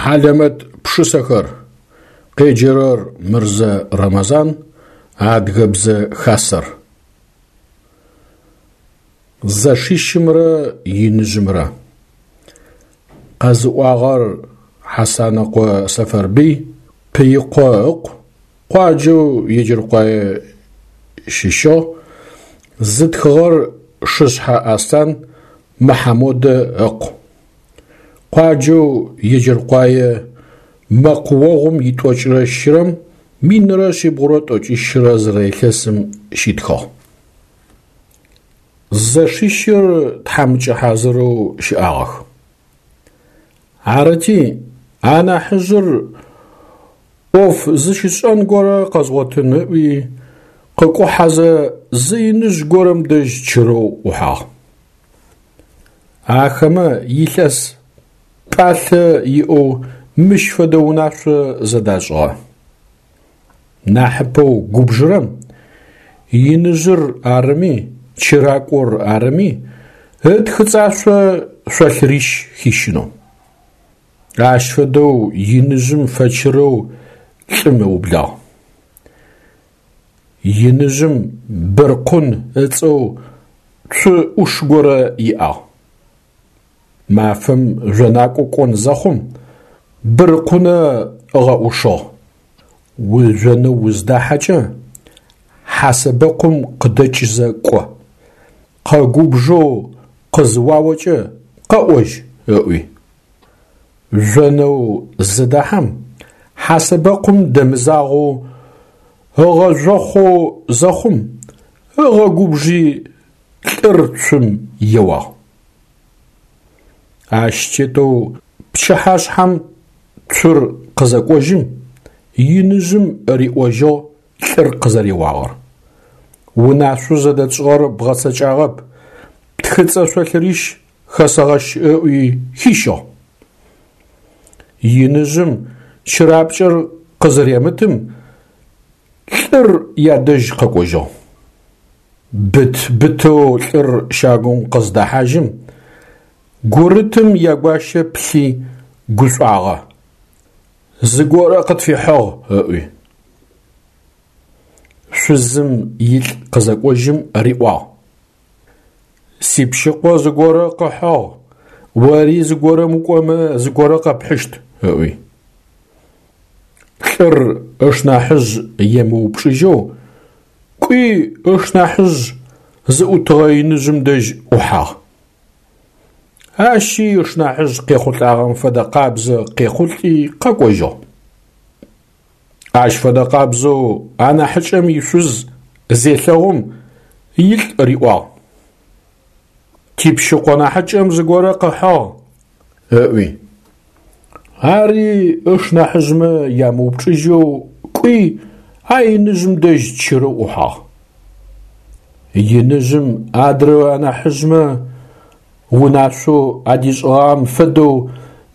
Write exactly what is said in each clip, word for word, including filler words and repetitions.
Хьалэмэт пшысэхэр. Къеджэрэр Мырзэ Рэмэзан, Адыгэбзэ Хасэр. Зэшищымрэ иныжъымрэ. Къэзыӏуагъэр Хьасанэкъо Сэфэрбый, Пыикъо ыкъу, къуаджэу Еджэркъуае щыщыгъ, зытхыгъэр Шышъхьэ Аслъан Мыхьамодэ ыкъу. Къуаджэу Еджэркъуае мэкъуогъум итӏокӏырэ щырэм минрэ шъибгъурэ тӏокӏищрэ зырэ илъэсым щитхыгъ. Зэшищыр тхьамыкӏэ хьазырэу щыӏагъэх. Арыти, анахьыжъыр ӏоф зыщишӏэн горэ къэзгъотын ыӏуи, къыкӏухьэзэ зы иныжъ горэм дэжь чырэу ӏухьагъ. Ахэмэ илъэс пӏалъэ иӏэу мыщ фэдэ унашъо зэдашӏыгъэ. Нахьыпэу губжырэм, иныжъыр арыми, чыракӏор арыми, ытхыцӏашъо шъолъырищ хищынэу. Ащ фэдэу иныжъым фэчырэу лӏым ыублагъ. Иныжъым Быркъун ыцӏэу цу ӏуш горэ иӏагъ. Мафэм жъонакӏо кӏон зэхъум Быркъунэ ыгъэӏушыгъ: Ужъонэу уздахьэкӏэ хьасэбэкъум къыдэкӏзэ кӏо, къэгубжэу къызыуаокӏэ къэӏожь, ыӏуи. Жъонэу зыдэхьэм хьасэбэкъум дэмызагъэу ыгъэжъохъоу зэхъум, ыгъэгубжи лӏыр цум еуагъ. Ащ тетэу пчыхьашъхьэм цур къызэкӏожьым, иныжъым риӏожьыгъ лӏыр къызэреуагъэр. Унашъоу зэдэтшӏыгъэр бгъэцэкӏагъэп, птхыцӏэ шъолъырищ хэсэгъэщ ыӏуи хищыгъ. Иныжъым чырапкӏэр къызыремытым, лӏыр ядэжь къэкӏожьыгъ. Быт-бытэу лӏыр щагум къыздэхьажьым, гурытым ягуащэ плъи гушӏуагъэ: Зыгорэ къытфихьыгъ, ыӏуи. Шъузым илӏ къызэкӏожьым риӏуагъ: Сипщыкъо зыгорэ къыхьыгъ, ори зыгорэм укӏомэ зыгорэ къэпхьыщт, ыӏуи. Лӏыр ышнахьыжъ емыупчӏыжьэу кӏуи ышнахьыжъ зыӏутыгъэ иныжъым дэжь ӏухьагъ. Ащи ышнахьыжъ къехъулӏагъэм фэдэ къабзэ къехъулӏи къэкӏожьыгъ. Ащ фэдэ къабзэу анахьыкӏэм ишъуз зелъэгъум илӏ риӏуагъ: Типщыкъо нахьыкӏэм зыгорэ къыхьыгъ, ыӏуи. Ари ышнахьыжъмэ ямыупчӏыжьэу кӏуи а иныжъым дэжь чырэу ӏухьагъ. Иныжъым адрэ анахьыжъмэ унашъоу адишӏыгъагъэм фэдэу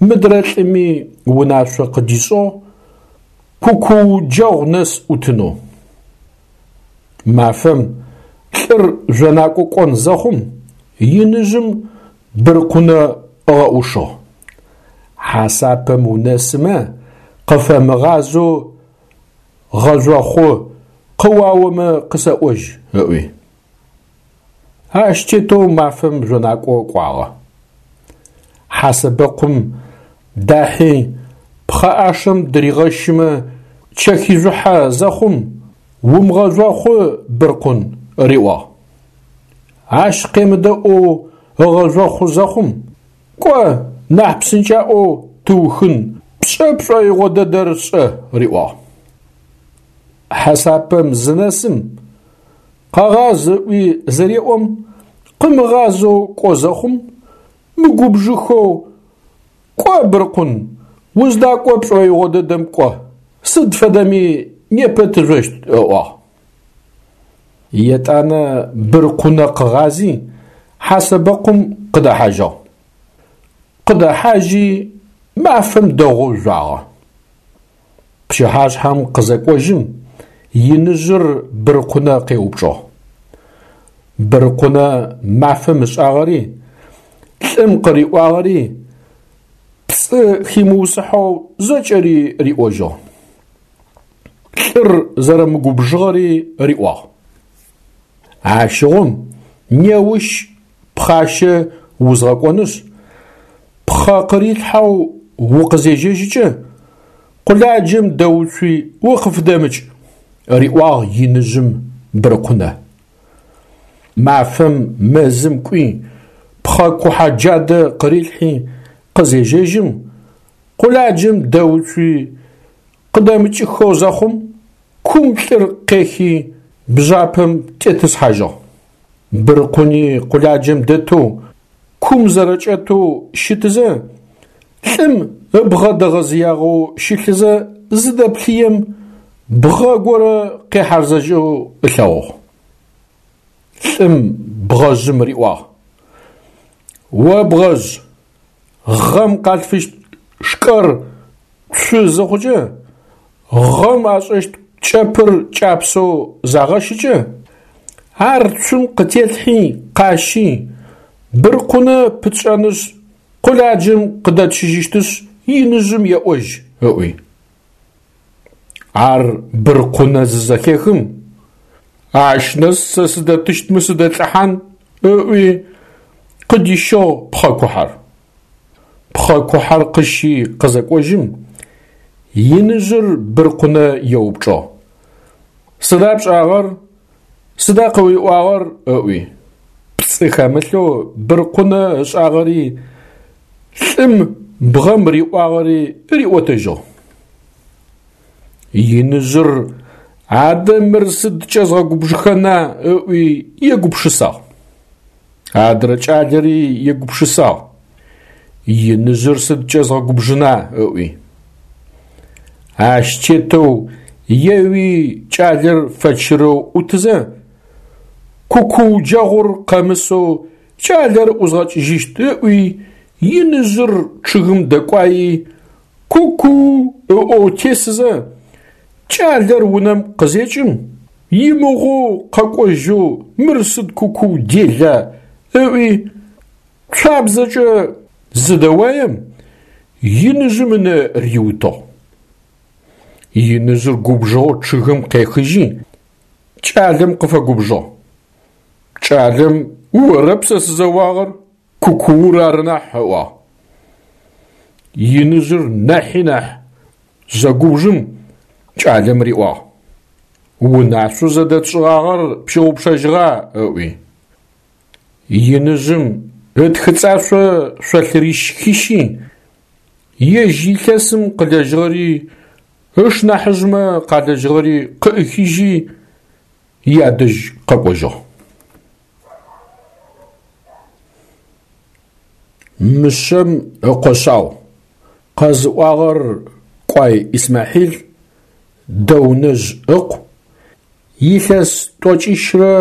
мыдрэ лӏыми унашъо къыдишӏыгъ кукууджэгъу нэс ӏутынэу. Мафэм лӏыр жъонакӏо кӏон зэхъум иныжъым Быркъунэ ыгъэӏушыгъ: Хьасапэм унэсымэ къыфэмыгъазэу гъэжъохъу, къыуаомэ къысэӏожь, ыӏуи. Ащ тетэу мафэм жъонакӏо кӏуагъэ. Хьасэбэкъум дахьи пхъэӏашэм дыригъэщымэ чэхижъухьэ зэхъум, умыгъэжъохъу, Быркъун, риӏуагъ. Ащ къемыдэӏоу ыгъэжъохъу зэхъум, кӏо, нахь псынкӏаӏоу тыухын, пшӏэ пшӏоигъо дэдэр шӏэ, риӏуагъ. Хьасапэм зынэсым, къэгъаз ыӏуи зыреӏом, къымыгъазэу кӏо зэхъум, мыгубжыхэу кӏо, Быркъун, уздакӏо пшӏоигъо дэдэм кӏо, сыд фэдэми непэ тыжъощт, ыӏуагъ. Етӏанэ Быркъунэ къыгъази хьасэбэкъум къыдэхьажьыгъ. Къыдэхьажьи мафэм дэгъоу жъуагъэ. Пчыхьашъхьэм къызэкӏожьым иныжъыр Быркъунэ къеупчӏыгъ. Быркъунэ мафэм ышӏагъэри, лӏым къыриӏуагъэри, Пцӏы химыусыхьэу зэкӏэри риӏожьыгъ. Лӏыр зэрэмыгубжыгъэри риӏуагъ. Ащыгъум неущ пхъащэ узгъэкӏонышъ, пхъэ къырилъхьэу укъызежьэжьыкӏэ, къуладжэм дэуцуи укъыфыдэмыкӏ, риӏуагъ иныжъым Брыкъунэ. Мафэм мэзым кӏуи, пхъэ кухьэ джадэ къырилъхьи къызежьэжьым, къуладжэм дэуцуи къыдэмыкӏыхэу зэхъум, кум лӏыр къехи бжъапэм тетӏысхьажьыгъ. Брыкъуни къуладжэм дэтэу, кум зэрэкӏэтэу щытызэ, лӏым ыбгъэ дэгъэзыягъэу щылъызэ зыдэплъыем, бгъэ горэ къехьарзэжьэу ылъэгъугъ. Лӏым бгъэжъым риӏуагъ: О бгъэжъ, гъэм къалъфыщт шкӏэр цу зыхъукӏэ, гъэм ашӏэщт кӏэпыр кӏапсэу загъэщыкӏэ, ар цум къытелъхьи къащи, Брыкъунэ пытшӏэнышъ, къуладжэм къыдэтщыжьыщтышъ, иныжъым еӏожь, ыӏуи. Ар Брыкъунэ зызэхехым, ащ нэс сэ сыдэтыщтмэ сыдэлӏыхьан, ыӏуи, къыдищыгъ пхъэ кухьэр. Пхъэ кухьэр къыщи къызэкӏожьым, иныжъыр Брыкъунэ еупчӏыгъ: Сыда пшӏагъэр? Сыда къыуиӏуагъэр? Ыӏуи. Пцӏы хэмылъэу Брыкъунэ ышӏагъэри, лӏым бгъэм риӏуагъэри риӏотэжьыгъ. Иныжъыр адэ мыр сыдкӏэ згъэгубжыхэна ыӏуи егупшысагъ. Адрэ кӏалэри егупшысагъ: Иныжъыр сыдкӏэ згъэгубжына ыӏуи. Ащ тетэу еуи кӏалэр фэчырэу ӏутызэ, кукуу джэгъур къэмысэу кӏалэр ӏузгъэкӏыжьыщт ыӏуи, иныжъыр чъыгым дэкӏуаи, кукуу ыӏоу тесызэ, кӏалэр унэм къызекӏым, имыгъоу къэкӏожьэу мыр сыд кукуу дела ыӏуи, цуабзэкӏэ зыдэуаем, иныжъым ынэ риутыгъ. Иныжъыр губжыгъэу чъыгым къехыжьи, кӏалэм къыфэгубжыгъ. Кӏалэм орэп сэ сызэуагъэр, кукуур ары нахь, ыӏуагъ. Иныжъыр нахьи нахь зэгубжым кӏалэм риӏуагъ: Унашъоу зэдэтшӏыгъагъэр пщыгъупшэжьыгъа? Ыӏуи. Иныжъым ытхыцӏашъо шъолъырищ хищи, ежь илъэсым къылэжьыгъэри, ышнахьыжъмэ къалэжьыгъэри къыӏыхижьи, ядэжь къэкӏожьыгъ. Мышъэм ыкъо шъау. Къэзыӏуагъэр Кӏуай Исмахьил, Дэунэжъ ыкъу, илъэс тӏокӏищрэ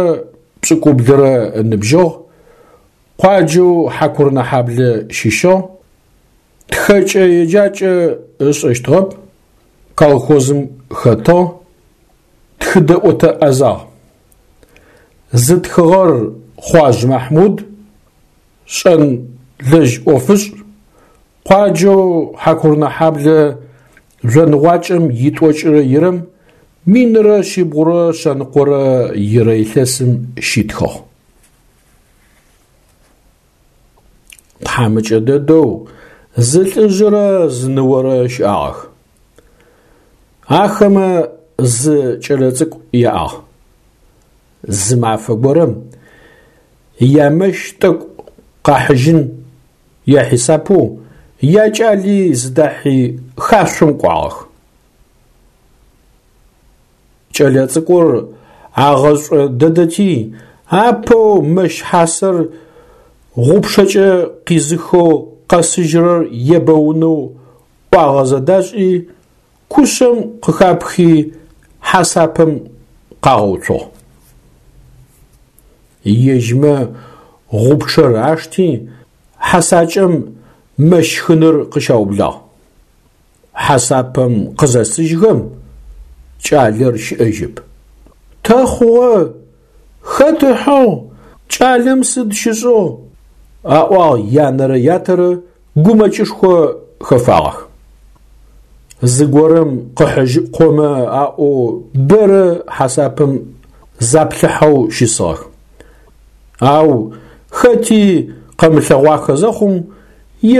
пшӏыкӏублырэ ыныбжьыгъ, къуаджэу Хьакурынэхьаблэ щыщыгъ, тхэкӏэ-еджакӏэ ышӏэщтыгъэп, колхозым хэтыгъ, тхыдэӏотэ ӏэзагъ. Зытхыгъэр Хъуажъ Махьмуд, шӏэнлэжь ӏофышӏ, къуаджэу Хьакурынэхьаблэ жъоныгъуакӏэм итӏокӏырэ ирэм минрэ шъибгъурэ шъэныкъорэ ирэ илъэсым щитхыгъ. Тхьамыкӏэ дэдэу зы лӏыжъырэ зы ныорэ щыӏагъэх. Ахэмэ зы кӏэлэцӏыкӏу яӏагъ. Зы мафэ горэм ямэщ тӏэкӏу къахьыжьын яхьисапэу якӏали зыдахьи хашъом кӏуагъэх. Кӏэлэцӏыкӏур агъэшӏо дэдэти, апэу мэщ хьасэр гъупчъэкӏэ къизыхэу къэсыжьырэр ебэунэу ӏуагъэ зэдашӏи, кушъэм къыхапхи хьасапэм къагъэуцугъ. Ежьмэ гъупчъэр ашти, хьасакӏэм мэщ хыныр къыщаублагъ. Хьасапэм къызэсыжьхэм, кӏалэр щыӏэжьэп. Тэ хъугъэ? Хэт ыхьыгъ? Кӏалэм сыд щышӏыгъ? Аӏуагъ янэрэ ятэрэ гумэкӏышхо хэфагъэх. Зыгорэм къыхьыжьыкъомэ аӏоу бэрэ хьасапэм заплъыхьэу щысыгъэх. Ау хэти къэмылъэгъуахэ зэхъум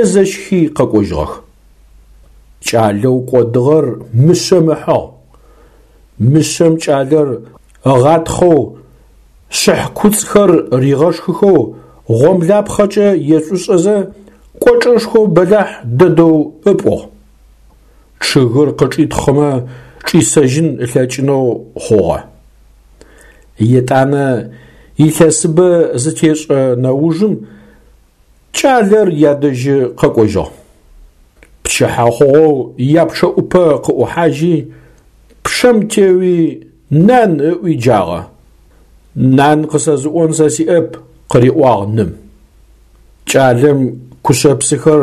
езэщхи къэкӏожьыгъэх. Кӏалэу кӏодыгъэр мышъэм ыхьыгъ. Мышъэм кӏалэр ыгъатхъэу, шъыхь куцӏхэр ригъэшхыхэу гъомлапхъэкӏэ ешӏушӏэзэ кӏочӏэшхо бэлахь дэдэу ыпӏугъ. Чъыгыр къычӏитхъымэ чӏисэжьын ылъэкӏынэу хъугъэ. Етӏанэ илъэсыбэ зытешӏэ нэужым кӏалэр ядэжьы къэкӏожьыгъ. Пчыхьэ хъугъэу япчъэӏупэ къыӏухьажьи, пчъэм теуи «Нан» ыӏуи джагъэ. «Нан къысэзыӏон сэ сиӏэп», къыриӏуагъ ным. Кӏалэм кушъэпсыхэр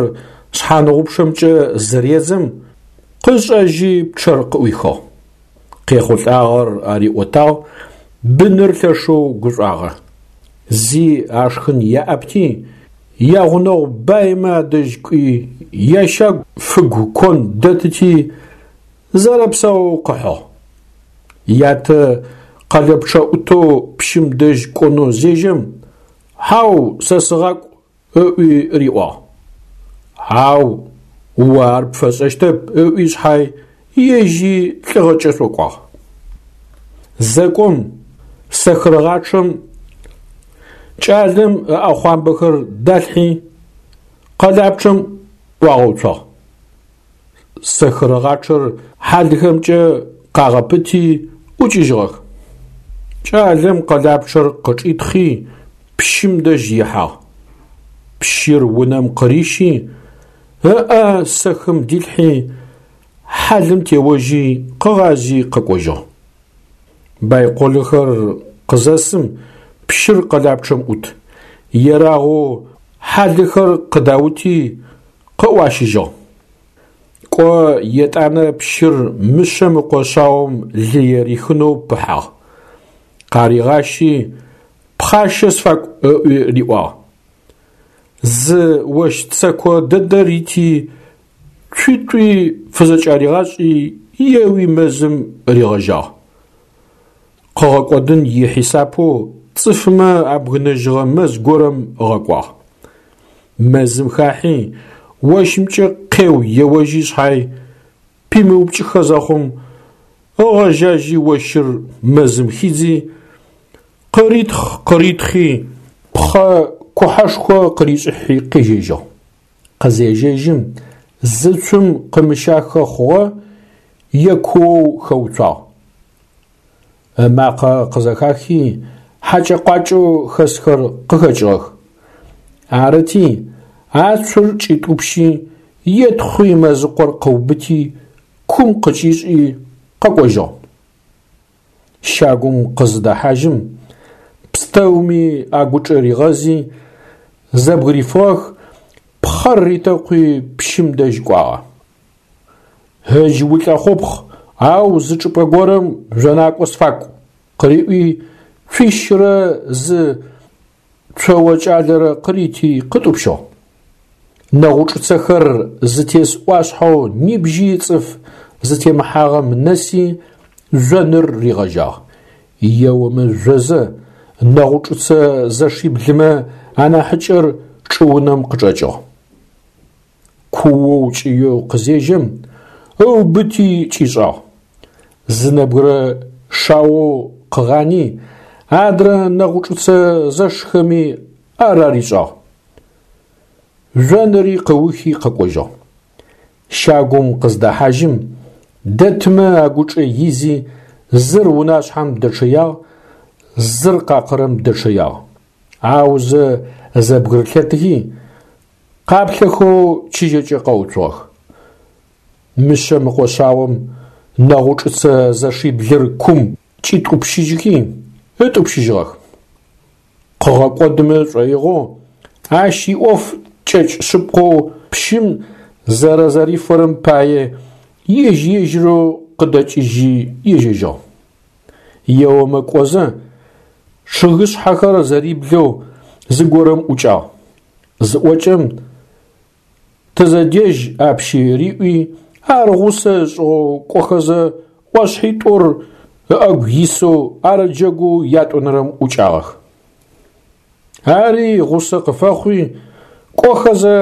шъхьаныгъупчъэмкӏэ зыредзым, къышӏэжьи пчъэр къыӏуихыгъ. Къехъулӏагъэр ариӏотагъ, быныр лъэшэу гушӏуагъэ. Зи ашхын яӏэпти, ягъунэгъу баймэ адэжь кӏуи, ящагу фыгу кон дэтыти, зэрэпсаоу къыхьыгъ. Ятэ къэлэпчъэӏутэу пщым дэжь кӏонэу зежьэм, «Хьау, сэ сыгъакӏу» ыӏуи риӏуагъ. «Хьау, о ар пфэшӏэщтэп» ыӏуи шъхьай ежьи лӏыгъэкӏэ шӏокӏуагъ. Зэкӏом сэхырыгъачъэм кӏалэм ыӏэхъуамбэхэр далъхьи къэлапчъэм ӏуагъэуцуагъ. Сэхырыгъачъэр хьалыхэмкӏэ къагъэпыти ӏукӏыжьыгъэх. Кӏалэм къэлапчъэр къычӏитхъи пщым дэжь ихьагъ. Пщыр унэм къырищи, ыӏэ сэхым дилъхьи, хьалым теожьи къыгъази къэкӏожьыгъ. Байколхэр къызэсым пщыр къэлапчъэм ӏут. Ерагъэу хьалыхэр къыдаути къыӏуащыжьыгъ. Кӏо етӏанэ пщыр мышъэм ыкъо шъаом лые рихынэу пыхьагъ. Къаригъащи пхъащэ сфакӏу ыӏуи риӏуагъ. Зы ощ цэко дэдэ рити цуитӏуи фызэкӏаригъашӏи еуи мэзым ригъэжьагъ. Къыгъэкӏодын ихьисапэу цӏыфмэ абгынэжьыгъэ мэз горэм ыгъэкӏуагъ. Мэзым хахьи ощымкӏэ къеу еожьи шъхьай пимыупкӏыхэ зэхъум, ыгъэжьажьи ощыр мэзым хидзи, къыритхъ-къыритхъи пхъэ кухьэшхо къыришӏыхьи къежьэжьыгъ. Къызежьэжьым зы цум къымыщахэ хъугъэ, екуоу хэуцуагъ. Ымакъэ къызэхахи хьакӏэ-къуакӏэу хэсхэр къыхэкӏыгъэх. Арыти, ацур кӏитӏупщи, етхъуи мэзыкъор къыубыти, кум къыкӏишӏи къэкӏожьыгъ. Щагум къызыдэхьажьым, пстэуми агучӏэ ригъэзи, зэбгырифыгъэх, пхъэр ритэкъуи пщым дэжь кӏуагъэ. «Ыдж улӏэхъупхъ, ау зы чӏыпӏэ горэм жъонакӏо сфакӏу» къыриӏуи, цуищырэ зы цоо кӏалэрэ къырити къытӏупщыгъ. Нэгъучӏыцэхэр зытес ӏуашъхьэу нибжьи цӏыф зытемыхьагъэм нэси жъоныр ригъэжьагъ. Еомэ жъозэ нэгъучӏыцэ зэшиблымэ анахьыкӏэр чӏыунэм къычӏэкӏыгъ. Куоу кӏыеу къызежьэм, ыубыти кӏишӏагъ. Зы нэбгырэ шаоу къыгъани, адрэ нэгъучӏыцэ зэшхэми ар аришӏагъ. Жъоныри къыухи къэкӏожьыгъ. Щагум къыздэхьажьым, дэтмэ агучӏэ изи зыр унашъхьэм дэчъэягъ, зыр къакъырэм дэчъэягъ. Аузэ зэбгырылъэтыхи, къаплъэхэу чыжьэкӏэ къэуцугъэх. Мышъэм ыкъо шъаом нэгъучӏыцэ зэшиблыр кум кӏитӏупщыжьыхи, ытӏупщыжьыгъэх. Къыгъэкӏодымэ шӏоигъоу, ащ иӏоф кӏэкӏ шъыпкъэу пщым зэрэзэрифэрэм пае ежь-ежьырэу къыдэкӏыжьи ежьэжьыгъ. Еомэ кӏозэ, чъыгышъхьэхэр зэриблэу зыгорэм ӏукӏагъ. Зыӏокӏэм, Тызэдежь апщи риӏуи, ар гъусэ ышӏыгъэу кӏохэзэ ӏошъхьитӏур ыӏэгу исэу арыджэгоу ятӏонэрэм ӏукӏагъэх. Ари гъусэ къыфэхъуи, кӏохэзэ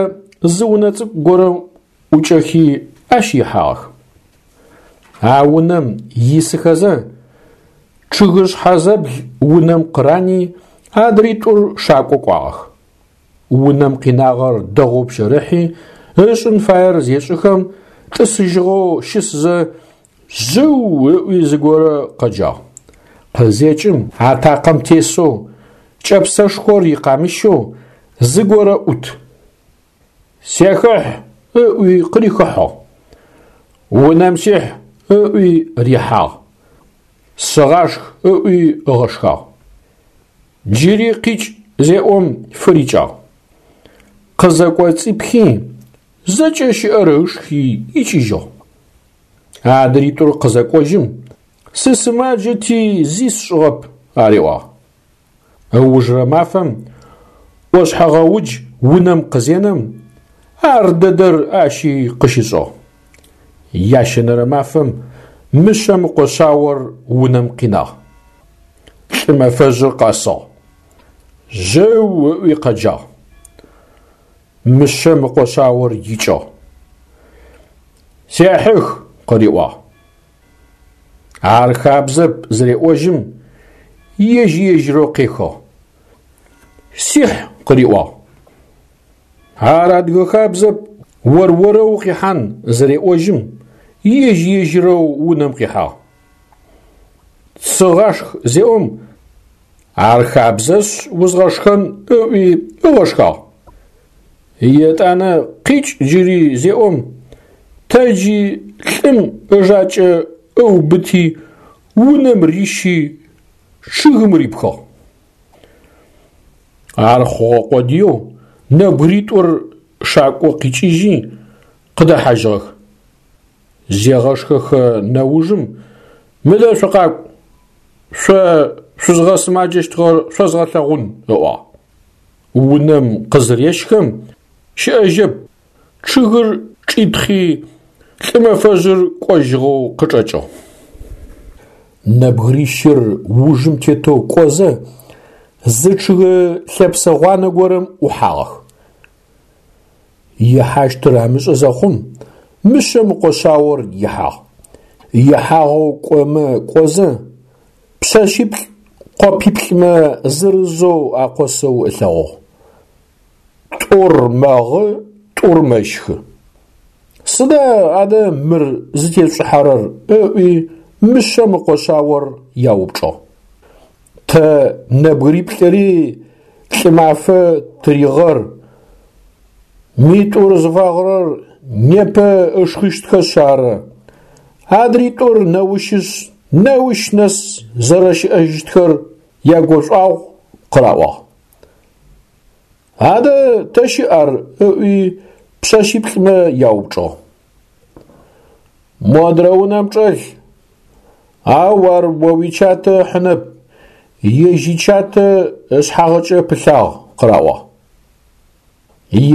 зы унэ цӏыкӏу горэм ӏукӏэхи ащ ихьагъэх. А унэм исыхэзэ чъыгышъхьэзэбл унэм къырани адритӏур шакӏо кӏуагъэх. Унэм къинагъэр дэгъоу пщэрыхьи, ышӏын фаер зешӏыхэм, тӏысыжьыгъэу щысызэ «Жъыу!» ыӏуи зыгорэ къэджагъ. Къызекӏым атакъэм тесэу, кӏэпсэшхор икъамыщэу зыгорэ ӏут. «Сехыхь!» ыӏуи къырихыхьыгъ. «Унэм сихь!» ыӏуи рихьагъ. «Сыгъашх!» ыӏуи ыгъэшхагъ. Джыри къикӏ зеӏом фырикӏагъ. Къызэкӏоцӏипхи, зэкӏэ щыӏэр ышхи икӏыжьыгъ. Адритӏур къызэкӏожьым «Сысымаджэти зи сшӏыгъэп» ариӏуагъ. Ыужырэ мафэм ӏошъхьэгъэудж унэм къызенэм, ар дэдэр ащи къыщышӏыгъ. Ящэнэрэ мафэм мышъэм ыкъо шъаор унэм къинагъ. Лӏымэфэжъыр къэсыгъ. «Жъыу!» ыӏуи къэджагъ. Мышъэм ыкъо шъаор икӏыгъ. «Сехьых!» къыриӏуагъ. Ар хабзэп зыреӏожьым, ежь-ежьырэу къехыгъ. «Сихь!» къыриӏуагъ. Ар адыгэ хабзэп, ор-орэу укъихьан зыреӏожьым, ежь-ежьырэу унэм къихьагъ. «Сыгъашх!» зеӏом, ар хабзэшъ узгъэшхэн ыӏуи ыгъэшхагъ. Етӏанэ къикӏ джыри зеӏом, тэджи лӏым ыжакӏэ ыубыти унэм рищи чъыгым рипхыгъ. Ар хъугъэ къодыеу нэбгыритӏур шакӏо къикӏыжьи къыдэхьажьыгъэх. Зегъэшхэхэ нэужым «Мыдэ шъукъакӏу, шъо шъузгъэсымаджэщтыгъэр шъозгъэлъэгъун» ыӏуагъ. Унэм къызырещхэм щыӏэжьэп, чъыгыр чӏитхъи лӏымэфэжъыр кӏожьыгъэу къычӏэкӏыгъ. Нэбгырищыр ужым тетэу кӏозэ зы чъыг лъэпсэ гъуанэ горэм ӏухьагъэх. Ихьащтыр амышӏэ зэхъум, мышъэм ыкъо шъаор ихьагъ. Ихьагъэу кӏомэ кӏозэ, пшъэшъиплӏ къопиплӏмэ зырызэу акъосэу ылъэгъугъ. Тӏур мэгъы, тӏур мэщхы. Сыда адэ мыр зытешъушӏыхьэрэр? ыӏуи мышъэм ыкъо шъаор яупчӏыгъ. Тэ нэбгыриплӏыри Лӏымафэ тыригъэр, митӏур зыфагъырэр непэ ышхыщтхэшъ ары, адритӏур неущышъ, неущ нэс зэрэщыӏэжьыщтхэр ягушӏуагъу къыраӏуагъ. Адэ тэ щыӏ ар? Ыӏуи пшъэшъиплӏымэ яупчӏыгъ. Модрэ унэм чӏэлъ, ау ар о уичатэ ыхьынэп, ежь ичатэ ышъхьагъыкӏэ пылъагъ къыраӏуагъ.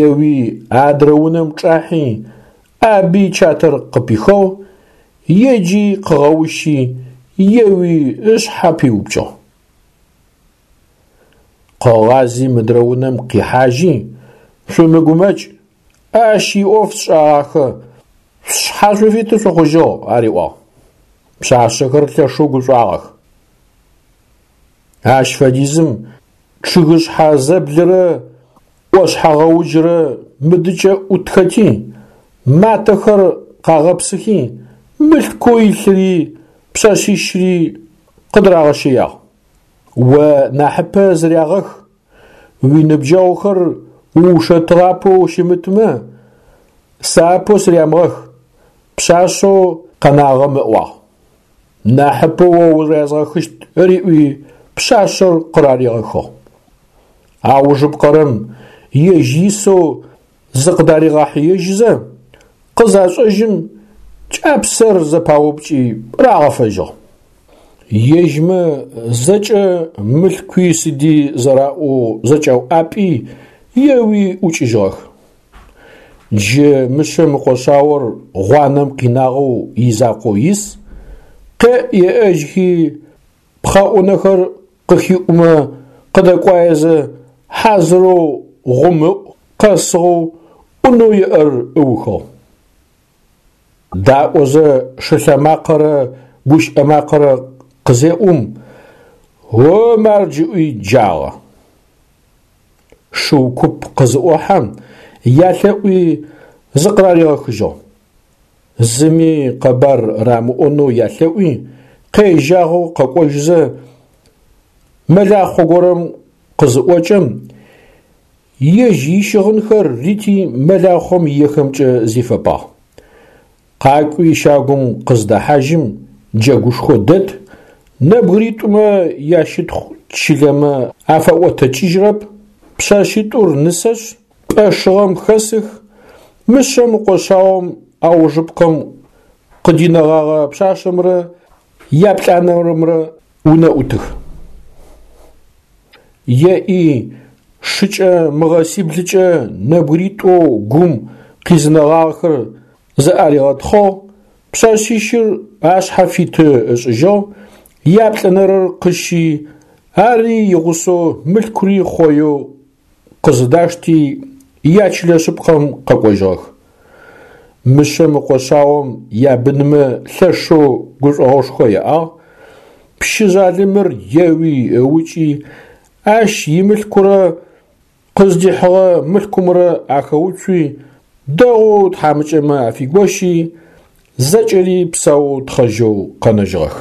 Еуи адрэ унэм чӏахьи ӏаби чатэр къыпихыгъ, еджи къыгъэущи, еуи ышъхьэ пиупкӏыгъ. Къыгъази мыдрэ унэм къихьажьи, шъумыгумэкӏ, ащ иӏоф сшӏэгъахэ, шъушъхьэ шъуфиты шъухъужьыгъ ариӏуагъ. Пшъашъэхэр лъэшэу гушӏуагъэх. Ащ фэдизым чъыгышъхьэ зэблырэ ӏошъхьэгъэуджрэ мыдыкӏэ ӏутхэти, матэхэр къагъэпсыхи, мылъкоу илъыри пшъэшъищыри къыдырагъэщэягъ. О нахьыпэ зырягъэх, уиныбджэгъухэр уушэтыгъапэу щымытмэ, сэ апэу сырямыгъэх, пшъашъэу къэнагъэм ыӏуагъ. Нахьыпэу о урязгъэхыщт риӏуи пшъашъэр къыраригъэхыгъ. Аужыпкъэрэм ежь исэу зыкъыдаригъэхьыежьызэ, къызашӏэжьым, кӏапсэр зэпаупкӏи рагъэфэжьыгъ. Ежьмэ зэкӏэ мылъкуи сыди зэраӏоу зэкӏауӏапӏи еуи ӏукӏыжьыгъэх. Джы мышъэм ыкъо шъаор гъуанэм къинагъэу изакъоу ис, къеӏ-еӏэжьхи пхъэӏунэхэр къыхиӏумэ къыдэкӏуаезэ хьазырэу гъумыӏу къэсыгъэу ӏунэу иӏэр ыухыгъ. Даӏозэ шылъэмакъэрэ гущыӏэ макъэрэ къызеӏум, «О мардж!» ыӏуи джагъэ. Шыу куп къызыӏохьэм, ялъэӏуи зыкъыраригъэхыжьыгъ. Зыми къэбар рамыӏонэу ялъэӏуи, къежьагъэу къэкӏожьызэ, мэлахъо горэм къызыӏокӏэм, ежь ищыгъынхэр рити мэлахъом иехэмкӏэ зифэпагъ. Къакӏуи щагум къыздэхьажьым джэгушхо дэт, нэбгыритӏумэ ящытхъу чылэмэ афэӏотэкӏыжьырэп, пшъэшъитӏур нысэшъ, пӏэ шыгъэм хэсых, мышъэм ыкъо шъаом аужыпкъэм къыдинэгъэгъэ пшъашъэмрэ яплӏанэрэмрэ унэӏутых. Еӏи шыкӏэ мыгъэсиблыкӏэ нэбгыритӏоу гум къизынэгъагъэхэр зэӏаригъэтхъыгъ, пшъэшъищыр ашъхьэ фиты ышӏыжьыгъ, яплӏэнэрэр къыщи, ари игъусэу мылъкури хъоеу къызыдашти ячылэ шъыпкъэм къэкӏожьыгъэх. Мышъэм ыкъо шъаом ябынмэ лъэшэу гушӏогъошхо яӏагъ, пщы жъалымыр еуи ыукӏи, ащ имылъкурэ къыздихьыгъэ мылъкумрэ ахэуцуи, дэгъоу тхьамыкӏэмэ афигощи, зэкӏэри псаоу тхъэжьэу къэнэжьыгъэх.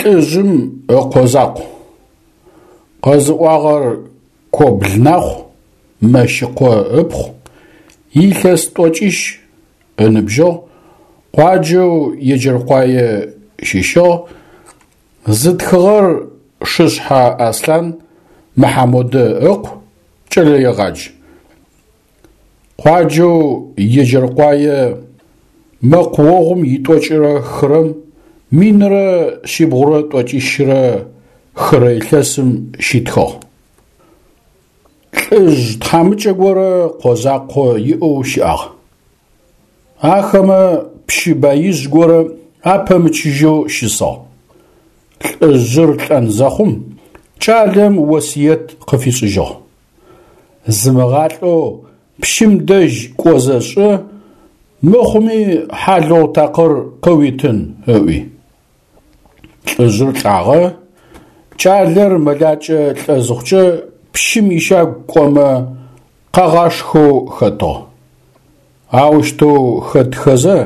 Лӏыжъым ыкъо закъу. Къэзыӏуагъэр Кобл Нахъу, Мэщыкъо ыпхъу, илъэс тӏокӏищ ыныбжьыгъ, къуаджэу Еджэркъуае щыщыгъ, зытхыгъэр Шышъхьэ Аслъан Мыхьамодэ ыкъу, кӏэлэегъадж. Къуаджэу Еджэркъуае мэкъуогъум итӏокӏырэ хырэм минрэ шъибгъурэ тӏокӏищрэ хырэ илъэсым щитхыгъ. Лӏыжъ тхьамыкӏэ горэ къо закъо иӏэу щыӏагъ. Ахэмэ пщы баижъ горэ апэмычыжьэу щысыгъ. Лӏыжъыр лӏэн зэхъум кӏалэм осыет къыфишӏыжьыгъ: «Зымыгъалӏэу пщым дэжь кӏозэ шӏы, мыхъуми хьалыгъу такъыр къыуитын», ыӏуи. Лӏыжъыр лӏагъэ, кӏалэр мэлакӏэ лӏэ зыхъукӏэ пщым ищагу кӏомэ къагъашхэу хэтыгъ. Аущтэу хэтхэзэ,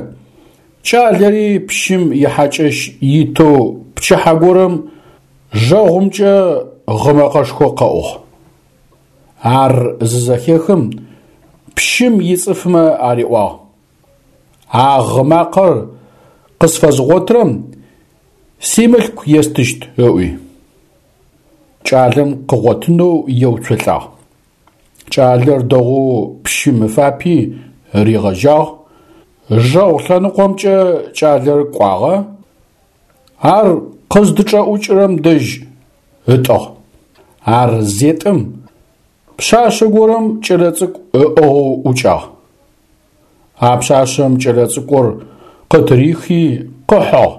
кӏалэри пщым ихьакӏэщ итэу пчыхьэ горэм жэгъумкӏэ гъы мэкъэшхо къэӏугъ. Ар зызэхехым пщым ицӏыфмэ ариӏуагъ: «А гъы макъэр къысфэзгъотырэм симылъку естыщт», ыӏуи. Кӏалэм къыгъотынэу еуцолӏагъ. Кӏалэр дэгъоу пщым ыфапи ригъэжьагъ. Жэгъу лъэныкъомкӏэ кӏалэр кӏуагъэ, ар къыздычӏэӏукӏырэм дэжь ытӏыгъ. Ар зетӏым пшъашъэ горэм кӏэлэцӏыкӏу ыӏыгъэу ӏукӏагъ. А пшъашъэм кӏэлэцӏыкӏур къытырихи къыхьыгъ.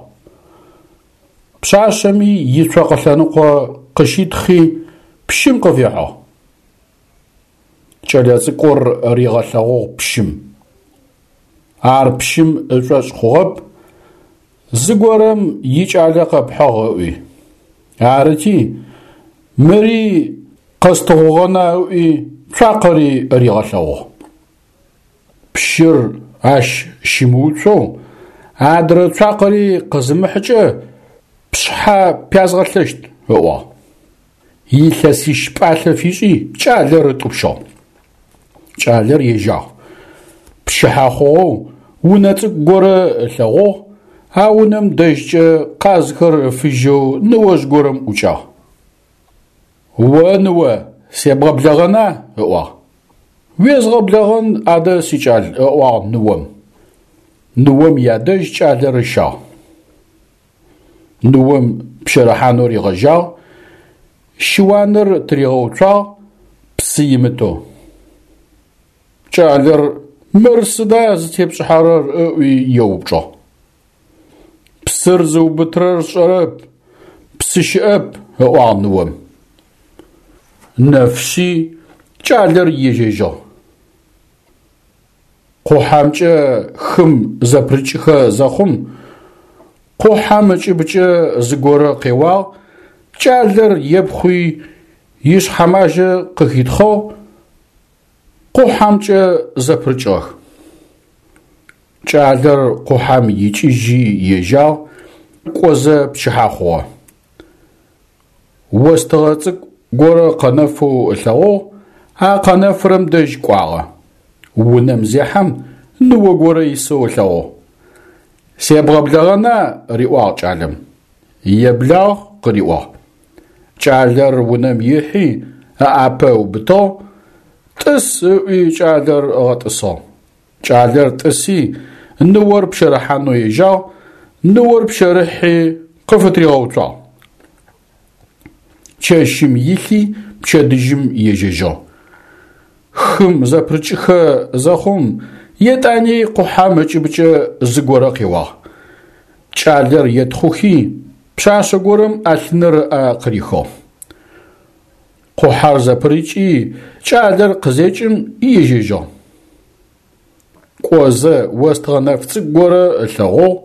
Пшъашъэми ицокъэ лъэныкъо къыщитхъи пщым къыфихьыгъ. Кӏэлэцӏыкӏур ригъэлъэгъугъ пщым. Ар пщым ышӏошъ хъугъэп, зыгорэм икӏалэ къэпхьыгъ ыӏуи. Арыти, мыри къэстыгъугъэна ыӏуи цуакъэри ригъэлъэгъугъ. Пщыр ащ щымыуцоу адрэ цуакъэри къызымыхьыкӏэ пшъхьэ пязгъэлъэщт ыӏуагъ. Илъэсищ пӏалъэ фишӏи кӏалэр ытӏупщыгъ. Кӏалэр ежьагъ. Пчыхьэ хъугъэу унэ цӏыкӏу горэ ылъэгъугъ, а унэм дэжькӏэ къазхэр ыфыжьэу ныожъ горэм ӏукӏагъ. «О ныо, себгъэблэгъэна?» ыӏуагъ. «Уезгъэблэгъэн адэ, сикӏал», ыӏуагъ ныом. Ныом ядэжь кӏалэр ыщагъ. Ныом пщэрыхьанэу ригъэжьагъ, щыуаныр тыригъэуцуагъ, псы имытэу. Кӏалэр мыр сыда зытепшӏыхьэрэр ыӏуи еупчӏыгъ. Псыр зыубытырэр сшӏэрэп, псы щыӏэп, ыӏуагъ ныом. Нэфшъи кӏалэр ежьэжьыгъ. Къухьэмкӏэ хым зэпырыкӏыхэ зэхъум, къухьэм ыкӏыбыкӏэ зыгорэ къеуагъ, кӏалэр епхъуи ишъхьэмажьэ къыхитхъыгъ, къухьэмкӏэ зэпырыкӏыгъэх. Кӏалэр къухьэм икӏыжьи ежьагъ, кӏозэ пчыхьэ хъугъэ. Остыгъэ цӏыкӏу горэ къэнэфэу ылъэгъугъ, а къэнэфырэм дэжь кӏуагъэ. Унэм зехьэм ныо горэ исэу ылъэгъугъ. Себгъэблэгъэна? Риӏуагъ кӏалэм. Еблагъ, къыриӏуагъ. Кӏалэр унэм ихьи ыӏапэ ыубытыгъ, тӏыс ыӏуи кӏалэр ыгъэтӏысыгъ. Кӏалэр тӏыси ныор пщэрыхьанэу ежьагъ, ныор пщэрыхьи къыфытригъэуцуагъ. Чэщым илъи пчэдыжьым ежьэжьыгъ. Хым зэпырыкӏыхэ зэхъум, етӏани къухьэм ыкӏыбыкӏэ зыгорэ къеуагъ. Кӏалэр етхъухи, пшъашъэ горэм ӏэлъыныр ыӏэ къырихыгъ. Къухьэр зэпырыкӏи, кӏалэр къызекӏым ежьэжьыгъ. Кӏозэ остыгъэ нэф цӏыкӏу горэ ылъэгъугъ,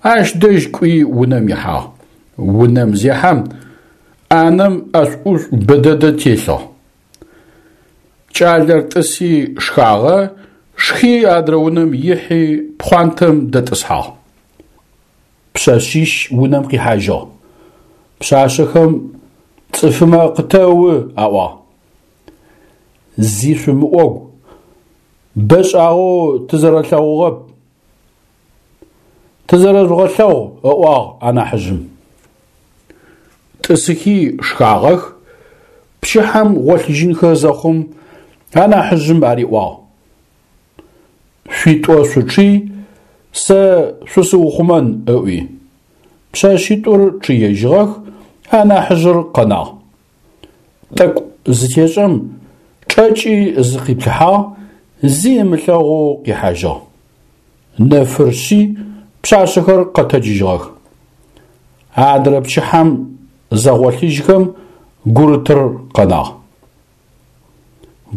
ащ дэжь кӏуи унэм ихьагъ. Унэм зехьэм, ӏанэм ӏэшӏу-ӏушӏу бэдэдэ телъыгъ. Кӏалэр тӏыси шхагъэ, шхи адрэ унэм ихьи пхъуантэм дэтӏысхьагъ. Пшъэшъищ унэм къихьажьыгъ. Пшъашъэхэм цӏыфымэ къытэу аӏуагъ. Зи шъумыӏогу, бэшӏагъэу тызэрэлъэгъугъэп. Тызэрэжъугъэлъэгъу, ыӏуагъ анахьыжъым. Тӏысыхи шхагъэх, пчыхьэм гъолъыжьынхэ зэхъум анахьыжъым ариӏуагъ. Шъуитӏо шъучъый, сэ шъусыухъумэн, ыӏуи. Пшъэшъитӏур чъыежьыгъэх, анахьыжъыр къэнагъ. Тӏэкӏу зытешӏэм чӏэкӏи зыкъиплъыхьагъ, зи ымылъэгъоу къихьажьыгъ. Нэфыр шъи пшъашъэхэр къэтэджыжьыгъэх. Адрэ пчыхьэм зэгъолъыжьхэм гурытыр къэнагъ.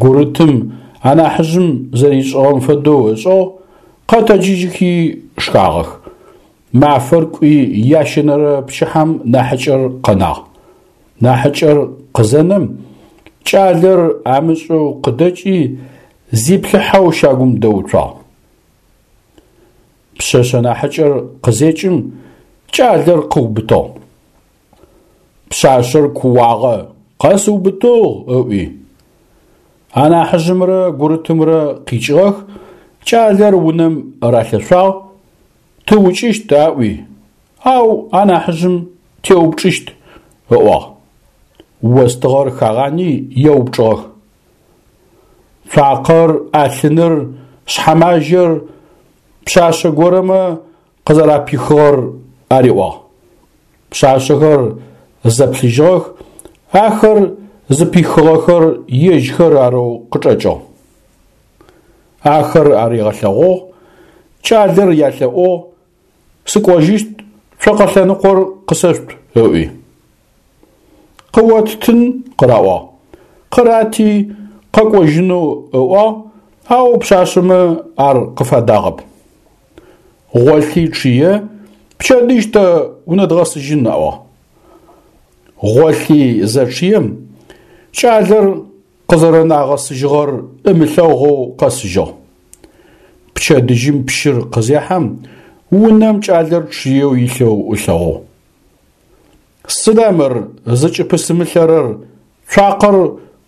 Гурытым анахьыжъым зэришӏыгъэм фэдэу ышӏыгъ, къэтэджыжьыхи шхагъэх. Мафэр кӏуи ящэнэрэ пчыхьэм нахьыкӏэр къэнагъ. Нахьыкӏэр къызэнэм, кӏалэр амышӏэу къыдэкӏи зиплъыхьэу щагум дэуцуагъ. Пшъэшъэ нахьыкӏэр къызекӏым кӏалэр къыубытыгъ. Пшъашъэр кууагъэ, къэсыубытыгъ, ыӏуи. Анахьыжъымрэ гурытымрэ къикӏыгъэх, кӏалэр унэм ралъэшъуагъ, тыукӏыщт аӏуи, ау анахьыжъым теупчӏыщт, ыӏуагъ. Остыгъэр хагъани еупчӏыгъэх. Цуакъэр, ӏэлъыныр, шъхьэмажьэр пшъашъэ горэмэ къызэрапихыгъэр ариӏуагъ. Пшъашъэхэр зэплъыжьыгъэх, ахэр зыпихыгъэхэр ежьхэр арэу къычӏэкӏыгъ. Ахэр аригъэлъэгъугъ, кӏалэр ялъэӏугъ, сыкӏожьыщт, цокъэ лъэныкъор къысэшъут, ыӏуи. Къыоттын къыраӏуагъ. Къырати къэкӏожьынэу ыӏуагъ, ау пшъашъэмэ ар къыфадагъэп. Гъолъи чъые, пчэдыжь тэ унэдгъэсыжьын аӏуагъ. Гъолъи зэчъыем, кӏалэр къызэрэнагъэсыжьыгъэр ымылъэгъоу къэсыжьыгъ. Пчэдыжьым пщыр къызехьэм, унэм кӏалэр чъыеу илъэу ылъэгъугъ. Сыда мыр зыкӏыпысымылъэрэр, цуакъэр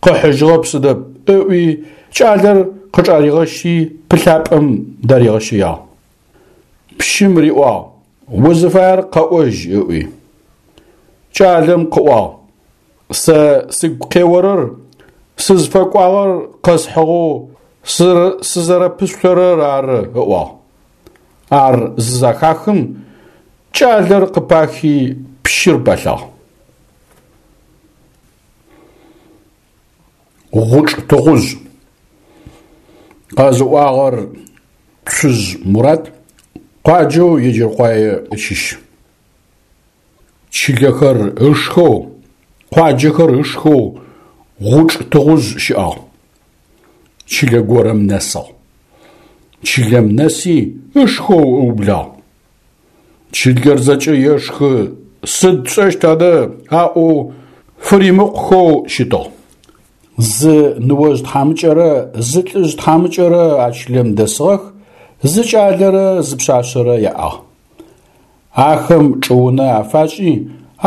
къыхьыжьыгъэп сыдэп, ыӏуи кӏалэр къычӏаригъэщи пылъапӏэм даригъэщэягъ. Пщым риӏуагъ, узыфаер къэӏожь, ыӏуи. Кӏалэм къыӏуагъ, сэ сыгу къеорэр, сызфэкӏуагъэр къэсхьыгъэу сызэрэпышъорэр ары, ыӏуагъ. Ар зызэхахым, кӏалэр къыпахи пщыр пэлъагъ. Гъучӏ тыгъужъ. Къэзыӏуагъэр Цужъ Мурат, къуаджэу Еджэркъуае щыщ. Чылэхэр ышхэу, къуаджэхэр ышхэу гъучӏ тыгъужъ щыӏагъ. Чылэ горэм нэсыгъ. Чылэм нэси ышхэу ыублагъ. Чылэр зэкӏэ ешхы, сыд тшӏэщт адэ аӏоу фыримыкъухэу щытыгъ. Зы ныожъ тхьамыкӏэрэ зы лӏыжъ тхьамыкӏэрэ а чылэм дэсыгъэх, зы кӏалэрэ зы пшъашъэрэ яӏагъ. Ахэм чӏыунэ афашӏи,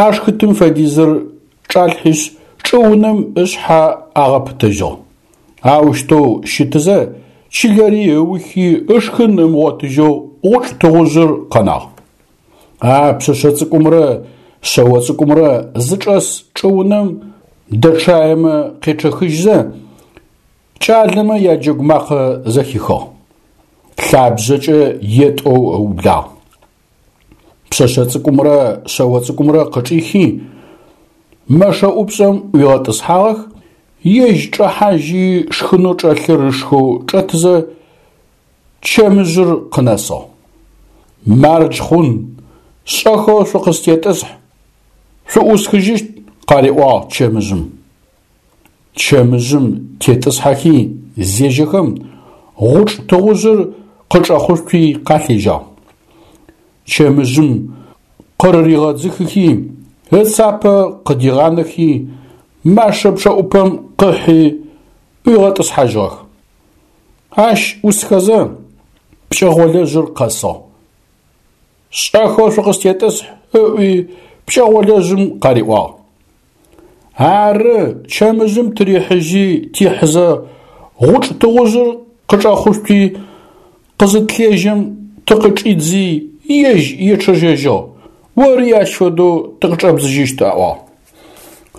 ашхытым фэдизыр чӏалъхьишъ чӏыунэм ышъхьэ агъэпытэжьыгъ. Аущтэу щытызэ чылэри ыухи ышхын ымыгъотыжьэу гъучӏ тыгъужъыр къэнагъ. А пшъэшъэ цӏыкӏумрэ шъэо цӏыкӏумрэ зычӏэс чӏыунэм дэчъаемэ къечъэхыжьзэ, кӏалэмэ яджэгу макъэ зэхихыгъ. Лъабжъэкӏэ етӏэу ыублагъ. Пшъэшъэ цӏыкӏумрэ шъэо цӏыкӏумрэ къычӏихи, мэшэ ӏупшӏэм ӏуигъэтӏысхьагъэх, ежь чӏэхьажьи шхынэу чӏэлъыр ышхэу чӏэтызэ чэмыжъыр къынэсыгъ. Мардж хъун, шӏэхэу шъукъыстетӏысхь, шъуӏусхыжьыщт, къариӏуагъ чэмыжъым. Чэмыжъым тетӏысхьэхи зежьэхэм, гъучӏ тыгъужъыр къычӏэхъушъуи къалъежьагъ. Чэмыжъым къырыригъэдзыхыхи, ыцапэ къыдигъанэхи, машэ пчъэӏупэм къыхьи ӏуигъэтӏысхьажьыгъэх. Ащ ӏусхэзэ пкӏэгъолэжъыр къэсыгъ. Шӏэхэу шъукъыстетӏысхь, ыӏуи пкӏэгъолэжъым къариӏуагъ. Ары, чэмыжъым тырихьыжьи тихьызэ гъучӏ тыгъужъыр къычӏэхъушъуи къызытлъежьэм тыкъычӏидзи ежь ечъэжьэжьыгъ, ори ащ фэдэу тыкъычӏэбдзыжьыщт, аӏуагъ.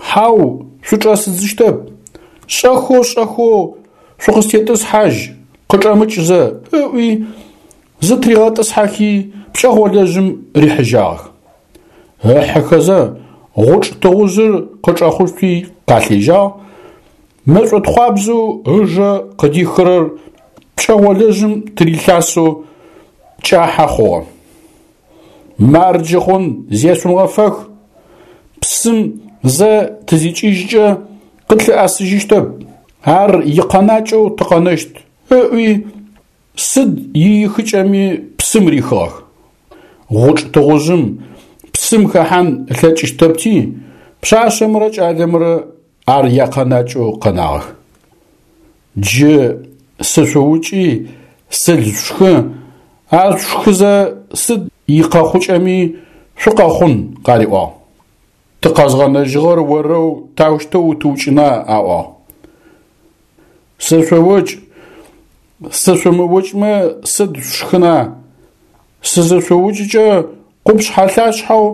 Хьау, шъучӏэсыдзыщтэп, шӏэхэу шӏэхэу шъукъыстетӏысхьажь, къычӏэмыкӏзэ, ыӏуи зытригъэтӏысхьэхи пкӏэгъолэжъым рихьыжьагъэх. Ыхьыхэзэ гъучӏ тыгъужъыр къычӏэхъушъуи къалъежьагъ, мэшӏотхъуабзэу ыжэ къыдихырэр пкӏэгъолэжъым тырилъасэу кӏахьэ хъугъэ. Марджы хъун, зешъумыгъэфэх, псым зэ тызикӏыжькӏэ къытлъыӏэсыжьыщтэп, ар икъэнакӏэу тыкъэнэщт, ыӏуи сыд иихыкӏэми псым рихыгъэх. Гъучӏ тыгъужъым псым хэхьан ылъэкӏыщтэпти, пшъашъэмрэ кӏалэмрэ ар якъэнакӏэу къэнагъэх. Джы сышъуукӏи сыл шъушхы, ар шъушхызэ сыд икъэхъукӏэми шъукъэхъун, къариӏуагъ. Тыкъэзгъэнэжьыгъэр орэу таущтэу утыукӏына, аӏуагъ. Сышъоукӏ, сышъумыукӏмэ сыд шъушхына, сызышъуукӏыкӏэ къупшъхьэ-лъашъхьэу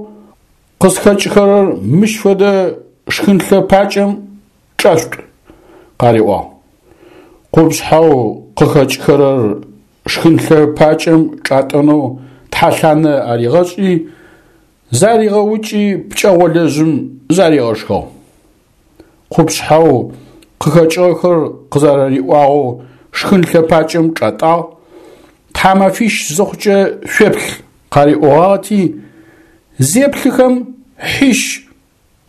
къысхэкӏхэрэр мыщ фэдэ шхынлъэ пакӏэм чӏэшъутӏ, къариӏуагъ. Къупшъхьэу къыхэкӏхэрэр шхынлъэ пакӏэм чӏатӏэнэу тхьэлъанэ аригъэшӏи, заригъэукӏи пкӏэгъолэжъым заригъэшхыгъ. Къупшъхьэу къыхэкӏыгъэхэр къызэрариӏуагъэу шхынлъэ пакӏэм чӏатӏагъ, тхьамэфищ зыхъукӏэ шъуеплъ къариӏогъагъэти, зеплъыхэм хьищ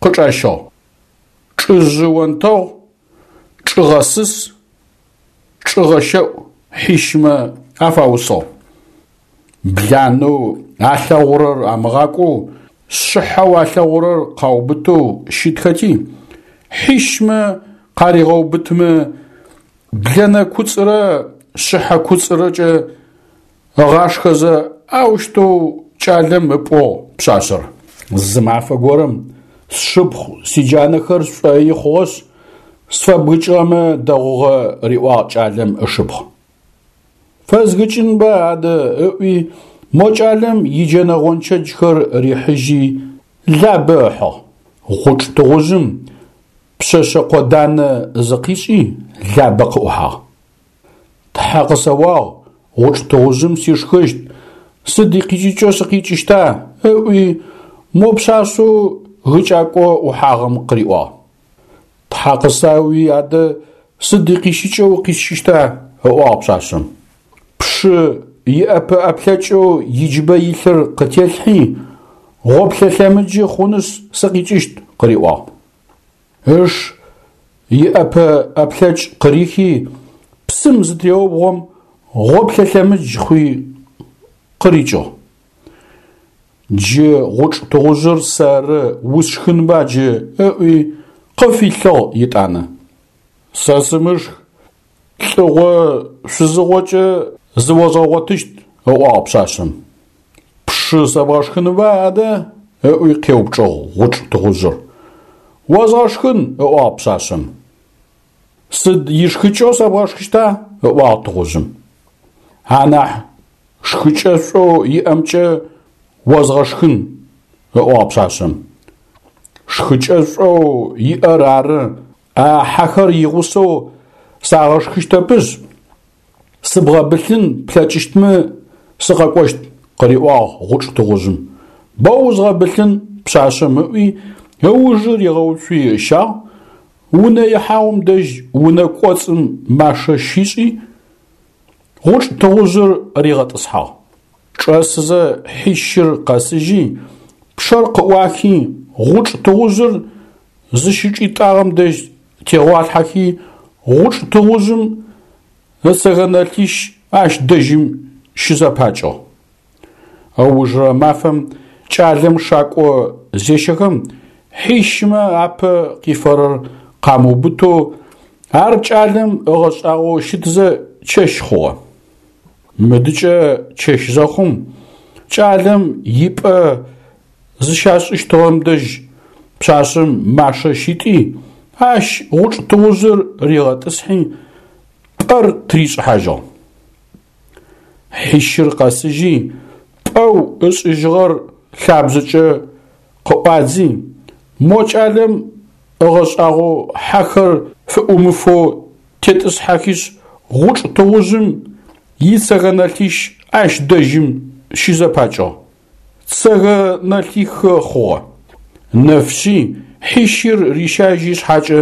къычӏащыгъ. Чӏыжъы онтэгъу, чӏыгъэсыс, чӏыгъэщэӏу хьищмэ афаусыгъ. Бланэу алъэгъурэр амыгъакӏоу, шъыхьэу алъэгъурэр къаубытэу щытхэти, хьищмэ къаригъэубытымэ блэнэ куцӏырэ шъыхьэ куцӏырэкӏэ ыгъашхэзэ аущтэу кӏалэм ыпӏугъ пшъашъэр. Зы мафэ горэм сшыпхъу сиджанэхэр шӏои хъугъэшъ, сфэбгыкӏыгъэмэ дэгъугъэ, риӏуагъ кӏалэм ышыпхъу. Фэзгыкӏынба адэ, ыӏуи мо кӏалэм иджэнэ гъончэджхэр рихьыжьи Лабэ ыхьыгъ. Гъучӏ тыгъужъым пшъэшъэ къоданэ зыкъишӏи Лабэ къыӏухьагъ. Тхьэ къысэуагъ, гъучӏ тыгъужъым сишхыщт, сыд икъикӏыкӏэу сыкъикӏыщта, ыӏуи мо пшъашъэу гыкӏакӏо ӏухьагъэм къыриӏуагъ. Тхьэ къысауи адэ Сыд икъищыкӏэу къисщыщта? ыӏуагъ пшъашъэм. Пшы иӏэпэ-ӏэплъэкӏэу иджыбэ илъыр къытелъхьи, гъоплъэ лъэмыджы хъунышъ сыкъикӏыщт, къыриӏуагъ. Ыш иӏэпэ-ӏэплъэкӏ къырихи, псым зытыреубгъом, гъоплъэ лъэмыдж хъуи къырикӏыгъ. Джы гъучӏ тыгъужъыр сэры усшхынба джы ыӏуи къыфилъыгъ етӏанэ. Сэ сымышх, лӏыгъо шъузыгъокӏэ зыозгъэгъотыщт, ыӏуагъ пшъашъэм. Пшы сэбгъэшхынба адэ? Ыӏуи къеупчӏыгъ гъучӏ тыгъужъыр. Озгъэшхын, ыӏуагъ пшъашъэм. Сыд ишхыкӏэу сэбгъэшхыщта? Ыӏуагъ тыгъужъым. Анахь шхыкӏэшӏоу иӏэмкӏэ озгъэшхын, ыӏуагъ пшъашъэм. Шхыкӏэшӏоу иӏэр ары, а хьэхэр игъусэу сагъэшхыщтэпышъ, сыбгъэбылъын плъэкӏыщтмэ сыкъэкӏощт, къыриӏуагъ гъучӏ тыгъужъым. Боу узгъэбылъын пшъашъэм ыӏуи, ыужы ригъэуцуи ыщагъ, унэ ихьагъум дэжь унэ кӏоцӏым машэ щишӏи, гъучӏ тыгъужъыр ригъэтӏысхьагъ. Чӏэсызэ хьищыр къэсыжьи, пчъэр къыӏуахи, гъучӏ тыгъужъыр зыщычӏитӏагъэм дэжь тегъуалъхьэхи, гъучӏ тыгъужъым ыцэгэнэлъищ ащ дэжьым щызэпакӏыгъ. Ыужырэ мафэм кӏалэм шакӏо зещэхэм, хьищмэ апэ къифэрэр къамыубытэу, ар кӏалэм ыгъэшӏагъоу щытызэ чэщ хъугъэ. Мыдыкӏэ чэщ зэхъум, кӏалэм ипӏэ зыщашӏыщтыгъэм дэжь пшъашъэм машэ щитӏи, ащ гъучӏ тыгъужъыр ригъэтӏысхьи, пӏэр тыришӏыхьажьыгъ. Хьищыр къэсыжьи, пӏэу ышӏыжьыгъэр лъабжъэкӏэ къыӏуадзи, мо кӏалэм ыгъэшӏагъоу хьэхэр фыӏумыфэу тетӏысхьэхишъ, гъучӏ тыгъужъым ицэгэнэлъищ ащ дэжьым щызэпакӏыгъ. Цэгэнэлъихы хъугъэ. Нэфшъи хьищыр рищажьи шъхьакӏэ,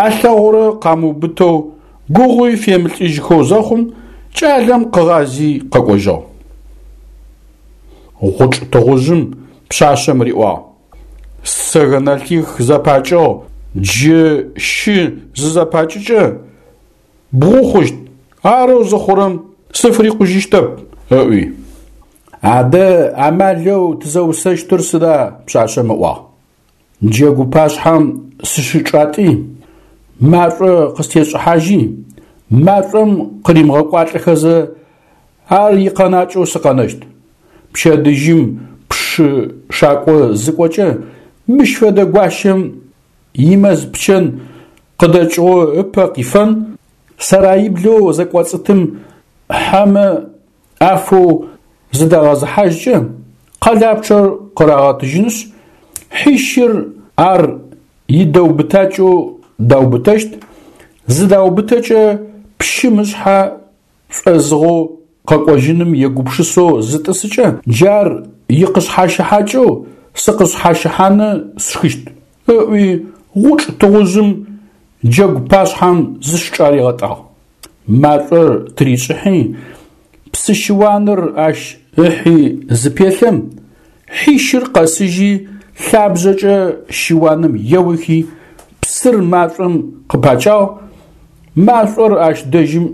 алъэгъурэ къамыубытэу, гугъуи фемылӏыжьхэу зэхъум, кӏалэм къыгъази къэкӏожьыгъ. Гъучӏ тыгъужъым пшъашъэм риӏуагъ: Сцэгэнэлъих зэпакӏыгъ, джы щы зызэпакӏыкӏэ бгъу хъущт, арэу зыхъурэм сыфырикъужьыщтэп, ыӏуи. Адэ амалэу тызэусэщтыр сыда? Пшъашъэм ыӏуагъ. Джэгу пашъхьэм сыщычӏатӏи, машӏо къыстешӏыхьажьи, машӏом къыримыгъэкӏуалӏэхэзэ ар икъэнакӏэу сыкъэнэщт. Пчэдыжьым пшы шакӏо зыкӏокӏэ, мыщ фэдэ гуащэм имэз пчэн къыдэкӏыгъо ыпэ къифэн, сараиблэу зэкӏоцӏытым хьэмэ афэу зыдагъэзыхьажькӏэ, къэлапчъэр къырагъэтыжьынышъ, хьищыр ар идэубытакӏэу даубытэщт, зыдаубытэкӏэ пщым ышъхьэ шӏозыгъэу къэкӏожьыным егупшысэу зытӏысыкӏэ, джар икъышъхьащыхьакӏэу сыкъышъхьащыхьаны сшхыщт, ыӏуи гъучӏ тыгъужъым джэгу пашъхьэм зыщычӏаригъэтӏагъ. Машӏор тыришӏыхьи, псы щыуаныр ащ ыхьи зыпелъэм, хьищыр къэсыжьи лъабжъэкӏэ щыуаным еухи, псыр машӏом къыпакӏагъ, машӏор ащ дэжьым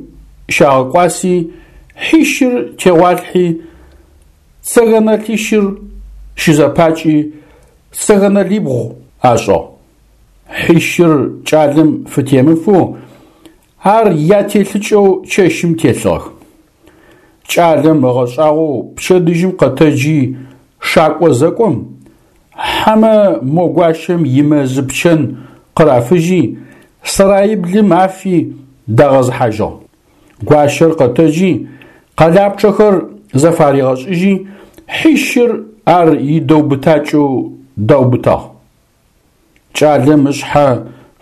щагъэкӏуаси, хьищыр тегъуалъхьи, цэгэнэлъищыр щызэпакӏи, цэгэнэлибгъу ашӏыгъ. Хьищыр кӏалэм фытемыфэу, ар ятелъыкӏэу чэщым телъыгъэх. Кӏалэм ыгъэшӏагъоу пчэдыжьым къэтэджи шакӏо зэкӏом, хьэмэ мо гуащэм имэзы пчэн къырафыжьи, сараиблым афи дагъэзыхьажьыгъ. Гуащэр къэтэджи, къэлапчъэхэр зэфаригъэшӏыжьи, хьищыр ар идэубытакӏэу даубытагъ. Кӏалэм ышъхьэ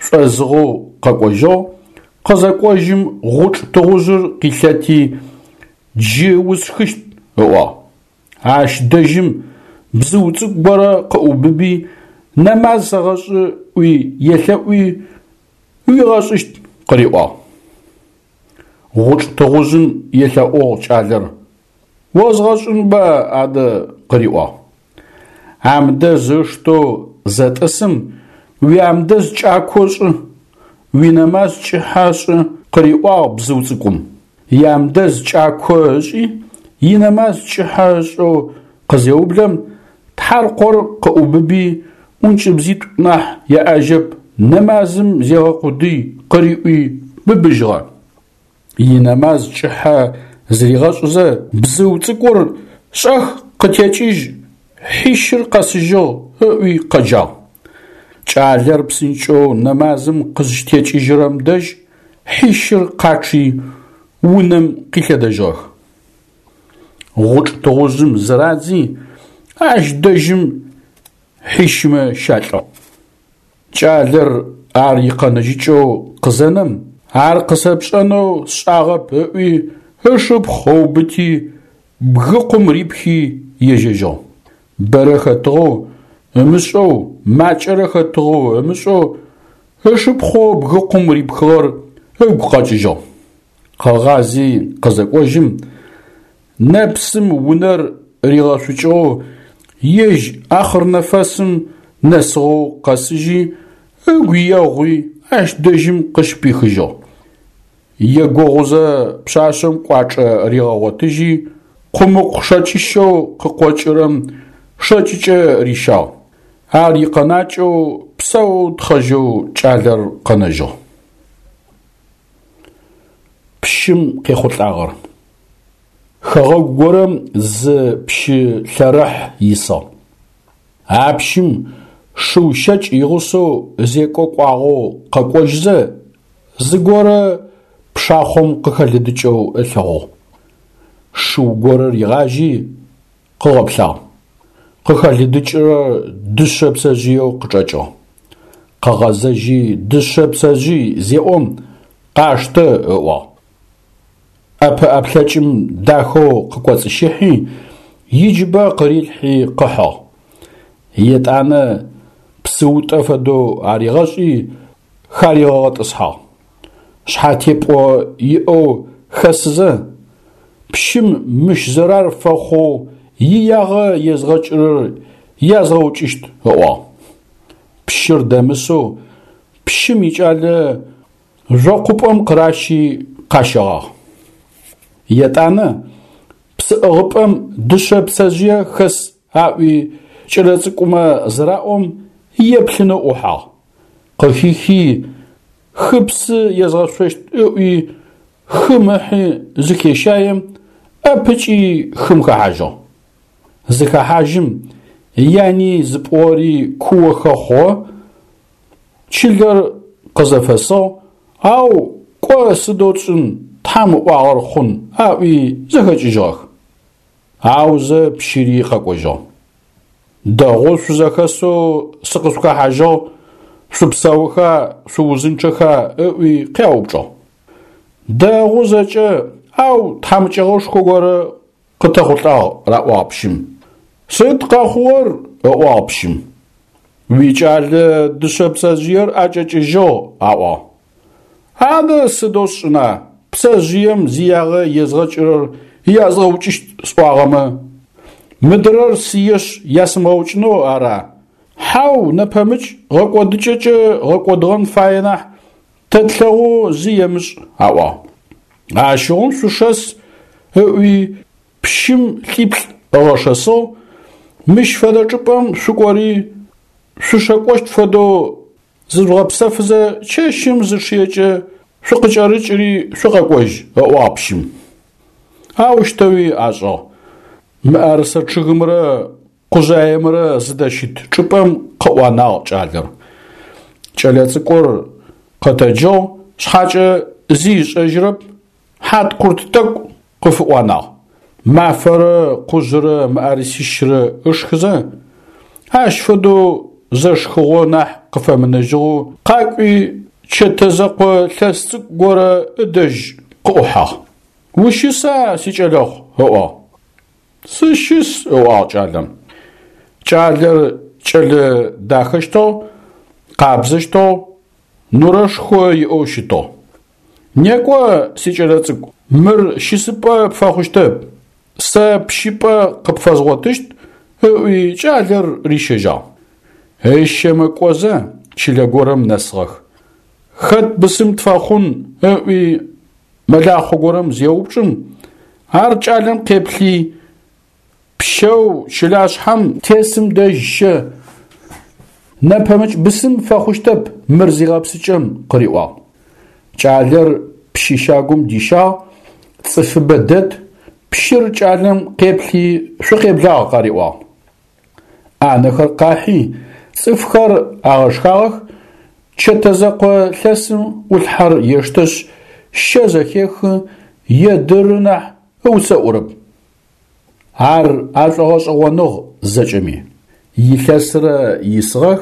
шӏозыгъэу къэкӏожьыгъ, къызэкӏожьым гъучӏ тыгъужъыр къилъэти, джы усшхыщт, ыӏуагъ. Ащ дэжьым бзыу цӏыкӏу горэ къыӏубыби, нэмаз сэгъэшӏы ӏуи елъэӏуи, уигъэшӏыщт къыриӏуагъ. Гъучӏ тыгъужъым елъэӏугъ кӏалэр: «Озгъэшӏынба адэ?» къыриӏуагъ. Амдэз ыштэу зэтӏысым уиамдэз кӏако шӏы, уинэмаз кӏыхьэ шӏы, къыриӏуагъ бзыу цӏыкӏум. Иамдэз кӏако ышӏи, инэмаз кӏыхьэ ышӏэу къызеублэм, тхьаркъор къыӏубыби, ӏункӏыбзитӏу нахь яӏэжьэп, нэмазым зегъэкъудый къыриӏуи быбыжьыгъэ. Инэмаз кӏыхьэ зыригъэшӏызэ, бзыу цӏыкӏур шӏэх къытекӏыжь, хьищыр къэсыжьыгъ ыӏуи къэджагъ. Кӏалэр псынкӏэу нэмазым къызщытекӏыжьырэм дэжь хьищыр къачъи унэм къилъэдэжьыгъэх. Гъучӏ тыгъужъым зырадзи, ащ дэжьым хьищымэ щалӏыгъ. Кӏалэр ар икъэнэжьыкӏэу къызэнэм, ар къысэпшӏэнэу сшӏагъэп ыӏуи, ышыпхъу ыубыти, бгыкъум рипхи ежьэжьыгъ. Бэрэ хэтыгъэу ымышӏэу, макӏэрэ хэтыгъэу ымышӏэу, ышыпхъоу бгыкъум рипхыгъэр ыгу къэкӏыжьыгъ. Къыгъази къызэкӏожьым, нэпсым унэр ригъэшъукӏыгъэу, ежь ахъырнэфэсым нэсыгъэу къэсыжьи, ыгу егъуи ащ дэжьым къыщыпихыжьыгъ. Егугъузэ пшъашъэм кӏуачӏэ ригъэгъотыжьи, къумыкъу шэкӏыщэу къыкъокӏырэм шэкӏыкӏэ рищагъ. Ар икъэнакӏэу псэу тхъэжьэу кӏалэр къэнэжьыгъ. Пщым къехъулӏагъэр. Хэгъэгу горэм зы пщы лъэрыхь исыгъ. А пщым шыу щэкӏ игъусэу зекӏо кӏуагъэу къэкӏожьызэ, зыгорэ пшахъом къыхэлыдыкӏэу ылъэгъугъ. Шыу горэ ригъажьи, къыгъэплъагъ. Къыхэлыдыкӏырэр дышъэ пцэжъыеу къычӏэкӏыгъ. Къыгъэзэжьи дышъэ пцэжъый зеӏом, къаштэ ыӏуагъ. ӏэпэӏэплъэкӏым дахэу къыкӏоцӏыщыхьи, иджыбэ къырилъхьи къыхьыгъ. Етӏанэ псыутӏэ фэдэу аригъэшӏи, харигъэгъэтӏысхьагъ. Шъхьатепӏо иӏэу хэсызэ, пщым мыщ зэрар фэхъоу иягъэ езгъэкӏырэр язгъэукӏыщт ыӏуагъ. Пщыр дэмысэу пщым икӏалэ жъокъупӏэм къыращи къащэгъагъ. Етӏанэ псыӏыгъыпӏэм дышъэ пцэжъые хэс аӏуи кӏэлэцӏыкӏумэ зыраӏом еплъынэу ӏухьагъ. Къыхихи хыпсы езгъэшъощт ыӏуи хым ыхьи зыхещаем, ӏэпыкӏи хым хэхьажьыгъ. Зыхэхьажьым яни зыпӏугъэри куохэ хъугъэ, чылэр къызэфэсыгъ, ау кӏо сыдэу тшӏын, Тхьэм ыӏуагъэр хъун аӏуи зэхэкӏыжьыгъэх. Аузэ пщыри къэкӏожьыгъ. Дэгъоу шъузэхэсэу сыкъышъухэхьажьыгъ, шъупсэуха, шъуузынчъэха ыӏуи къяупчӏыгъ. Дэгъу зэкӏэ, ау тхьамыкӏэгъошхо горэ къытэхъулӏагъ, раӏуагъ пщым. Сыд къэхъугъэр? Ыӏуагъ пщым. Уикӏалэ дышъэ пцэжъыер ӏэкӏэкӏыжьыгъ, аӏуагъ. Адэ сыдэу сшӏына, пцэжъыем зиягъэ езгъэкӏырэр язгъэукӏыщт сӏуагъэмэ, мыдырэр сыешъ ясымыгъэукӏынэу ара? Хьау, нэпэмыкӏ гъэкӏодыкӏэкӏэ гъэкӏодыгъэн фае нахь, тэ тлъэгъоу зи емышӏ, аӏуагъ. Ащыгъум шъушэс ыӏуи пщым лӏиплӏ ыгъэшэсыгъ, мыщ фэдэ чӏыпӏэм шъукӏори шъушэкӏощт фэдэу зыжъугъэпсэфызэ чэщым зычъыекӏэ шъукъыкӏэрыкӏыри шъукъэкӏожь, ыӏуагъ пщым. Аущтэуи ашӏыгъ. Мыӏэрысэ чъыгымрэ къужъаемрэ зыдэщыт чӏыпӏэм къыӏуанагъ кӏалэр. Кӏэлэцӏыкӏур къэтэджыгъ, шъхьакӏэ зи ышӏэжьырэп, хьаткъурт тӏэкӏу къыфыӏуанагъ. Мафэрэ къужъырэ мыӏэрысищрэ ышхызэ, ащ фэдэу зэшхыгъо нахь къыфэмынэжьыгъэу къакӏуи чэтэ зэкъо лъэс цӏыкӏу горэ ыдэжь къыӏухьагъ. Ущыса, сикӏэлэхъу? Ыӏуагъ. Сыщыс, ыӏуагъ кӏалэм. Кӏалэр кӏэлэ дахэщтыгъ, къабзэщтыгъ, нурэшхо иӏэу щытыгъ. Некӏо, сикӏэлэцӏыкӏу, мыр щысыпӏэ пфэхъущтэп, сэ пщыпӏэ къыпфэзгъотыщт, ыӏуи кӏалэр рищэжьагъ. Ыщэмэ кӏозэ чылэ горэм нэсыгъэх. Хэт бысым тфэхъун ыӏуи мэлахъо горэм зеупчӏым, ар кӏалэм къеплъи, пщэу чылашъхьэм тесым дэжь щэ, нэпэмыкӏ бысым фэхъущтэп мыр зигъэпсыкӏэм къыриӏуагъ. Кӏалэр пщы щагум дищагъ, цӏыфыбэ дэт, пщыр кӏалэм къеплъи шъукъеблагъ къариӏуагъ. ӏанэхэр къахьи, цӏыфхэр агъэшхагъэх, чэтэ зэкъо лъэсым ӏулъхьэр ештэшъ, щэ зэхехы, едыры нахь ыуцэӏурэп. Ар ашӏогъэшӏэгъоныгъ зэкӏэми. Илъэсрэ исыгъэх,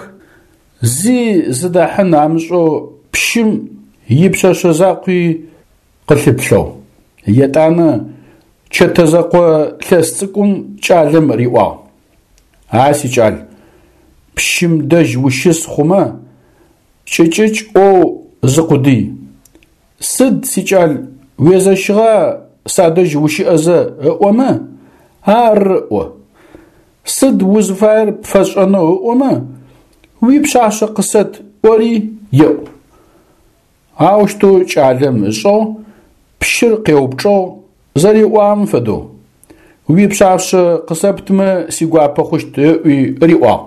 зи зыдахьын амышӏэу пщым ипшъэшъэ закъуи къылъыплъэу. Етӏанэ чэтэ зэкъо лъэс цӏыкӏум кӏалэм риӏуагъ: А сикӏал, пщым дэжь ущыс хъумэ, кӏыкӏыкӏ ӏоу зыкъудый. Сыд, сикӏал, уезэщыгъа садэжь ущыӏэзэ ыӏомэ, ары ӏо. Сыд узыфаер пфэсшӏэнэу ыӏомэ, уипшъашъэ къысэт ӏори еӏу. Аущтэу кӏалэм ышӏыгъ, пщыр къеупчӏыгъ зэриӏуагъэм фэдэу. Уипшъашъэ къысэптымэ сигуапэ хъущт ыӏуи риӏуагъ.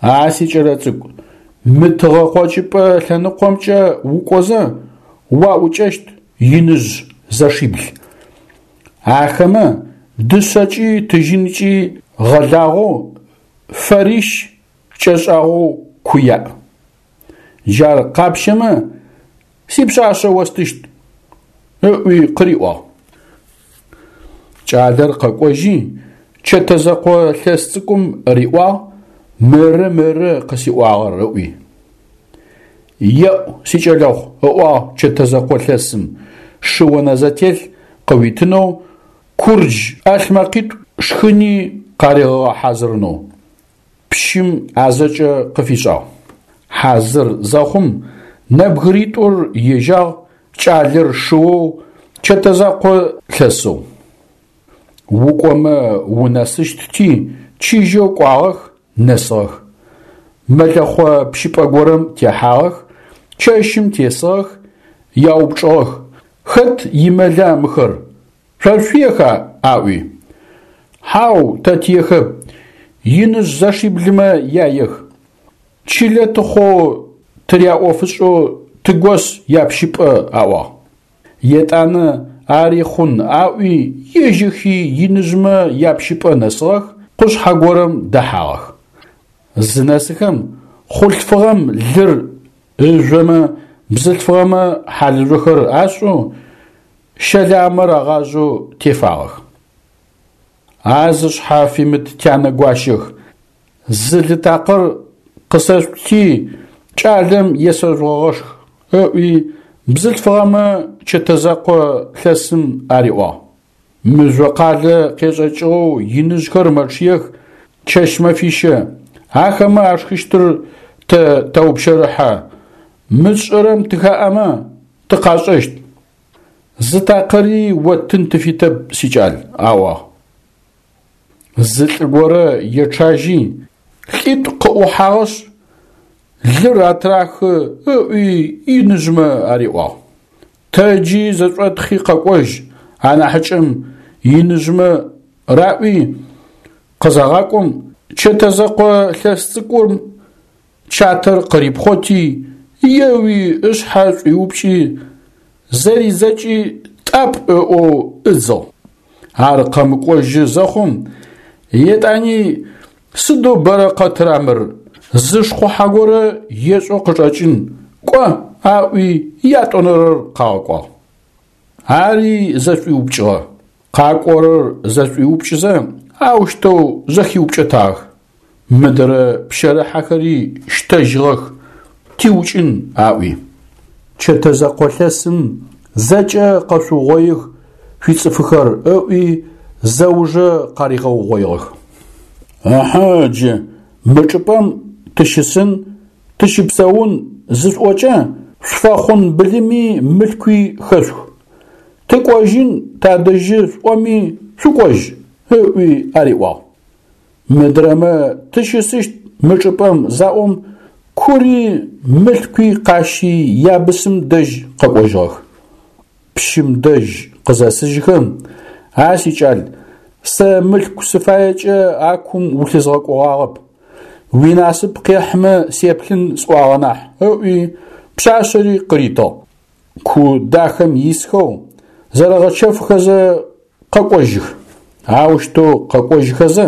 А сикӏэлэцӏыкӏу, мы тыгъэ къокӏыпӏэ лъэныкъомкӏэ укӏозэ уаӏукӏэщт иныжъ зэшибл. Ахэмэ дышъэкӏи тыжьынкӏи гъэлагъэу фэрищ кӏэшӏагъэу ку яӏ. Джар къапщэмэ, сипшъашъэ остыщт, ыӏуи къыриӏуагъ. Кӏалэр къэкӏожьи, чэтэ зэкъо лъэс цӏыкӏум риӏуагъ, мыры мыры къысиӏуагъэр ыӏуи. Еӏу, сикӏэлэхъу, ыӏуагъ чэтэ зэкъо лъэсым, шы онэзэтелъ къыуитынэу, курдж ӏалъмэкъитӏу шхыни къаригъэгъэхьазырынэу. Пщым а зэкӏэ къыфишӏагъ. Хьазыр зэхъум нэбгыритӏур ежьагъ, кӏалэр шыоу, чэтэ закъо лъэсэу. Укӏомэ унэсыщтти, чыжьэу кӏуагъэх, нэсыгъэх. Мэлэхъо пщыпӏэ горэм техьагъэх, чэщым тесыгъэх, яупчӏыгъэх: Хэт имэла мыхэр? Шъо шъуеха? Аӏуи. Хьау, тэ тиехэп, иныжъ зэшиблымэ яех. Чылэ тыхъоу тыряӏофышӏэу тыгос япщыпӏэ аӏуагъ. Етӏанэ ари хъун аӏуи ежьэхи иныжъмэ япщыпӏэ нэсыгъэх, къушъхьэ горэм дэхьагъэх. Зынэсыхэм хъулъфыгъэм лыр ыжъомэ, бзылъфыгъэмэ хьалыжъохэр ашӏэу, щэламэр агъажъэу тефагъэх. А зышъхьэ фимыт тянэ гуащэх, зы лы такъыр къысэшъути, кӏалэм есэжъугъэгъэшх, ыӏуи бзылъфыгъэмэ чэтэ зэкъо лъэсым ариӏуагъ. Мыжъо къалэ къешӏэкӏыгъэу иныжъхэр мэчъыех чэщ-мэфищэ, ахэмэ ашхыщтыр тэ тэупщэрыхьэ, мы тшӏэрэм тыхаӏэмэ тыкъашӏэщт. Зы такъыри оттын тыфитэп, сикӏал, аӏуагъ. Зы лӏы горэ ечъажьи, лӏитӏу къыӏухьагъэшъ, лыр атрахы ыӏуи иныжъмэ ариӏуагъ. Тэджи зэшӏотхъи къэкӏожь анахьыкӏэм иныжъмэ раӏуи къызагъакӏом, чэтэ зэкъо лъэс цӏыкӏум чатэр къырипхъоти, еуи ышъхьэ шӏуиупкӏи, зэридзэкӏи тӏапӏ ыӏоу ыдзыгъ. Ар къэмыкӏожьы зэхъум, етӏани сыдэу бэрэ къэтыра мыр, зы шхъухьэ горэ ешӏэу къычӏэкӏын, кӏо, аӏуи ятӏонэрэр къагъэкӏуагъ. Ари зэшӏуиупкӏыгъэ. Къакӏорэр зэшӏуиупкӏызэ, аущтэу зэхиупкӏэтагъэх. Мыдэрэ пщэрыхьэхэри щтэжьыгъэх, тиукӏын аӏуи. Чэтэ зэкъо лъэсым зэкӏэ къэшъугъоих шъуицӏыфыхэр ыӏуи зэужэ къаригъэугъоигъэх. Ыхьы джы мы чӏыпӏэм тыщысын, тыщыпсэун зышӏокӏэ Шъуфэхъун былыми мылъкуи хэшъух. Тыкӏожьын тадэжьы шъуӏоми шъукӏожь, ыӏуи ариӏуагъ. Мыдрэмэ тыщысыщт мы чӏыпӏэм заӏом, кури мылъкуи къащи ябысым дэжь къэкӏожьыгъэх. Пщым дэжь къызэсыжьхэм: «А сикӏал, сэ мылъку сыфаекӏэ а кум улъызгъэкӏогъагъэп, уинасып къехьымэ сеплъын сӏуагъэ нахь», ыӏуи пшъашъэри къыритыгъ. Ку дахэм исхэу зэрэгъэчэфхэзэ къэкӏожьых. Аущтэу къэкӏожьхэзэ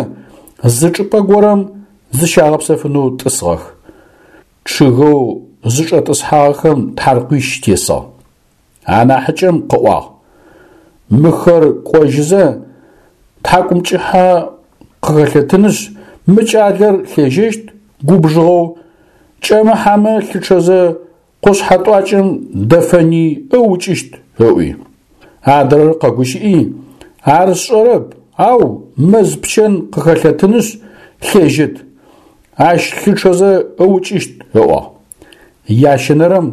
зы чӏыпӏэ горэм зыщагъэпсэфынэу тӏысыгъэх. Чъыгэу зычӏэтӏысхьагъэхэм тхьаркъуищ тесыгъ. Анахьыкӏэм къыӏуагъ: «Мыхэр кӏожьызэ тхьакӏумкӏыхьэ къыхэлъэтынышъ, мы кӏалэр лъежьэщт губжыгъэу, кӏэмыхьэмэ лъычъэзэ къушъхьэ тӏуакӏэм дэфэни ыукӏыщт», ыӏуи. Адрэр къэгущыӏи: «Ар сшӏэрэп, ау мэз пчэн къыхэлъэтынышъ лъежьэт, ащ лъычъэзэ ыукӏыщт», ыӏуагъ. Ящэнэрэм: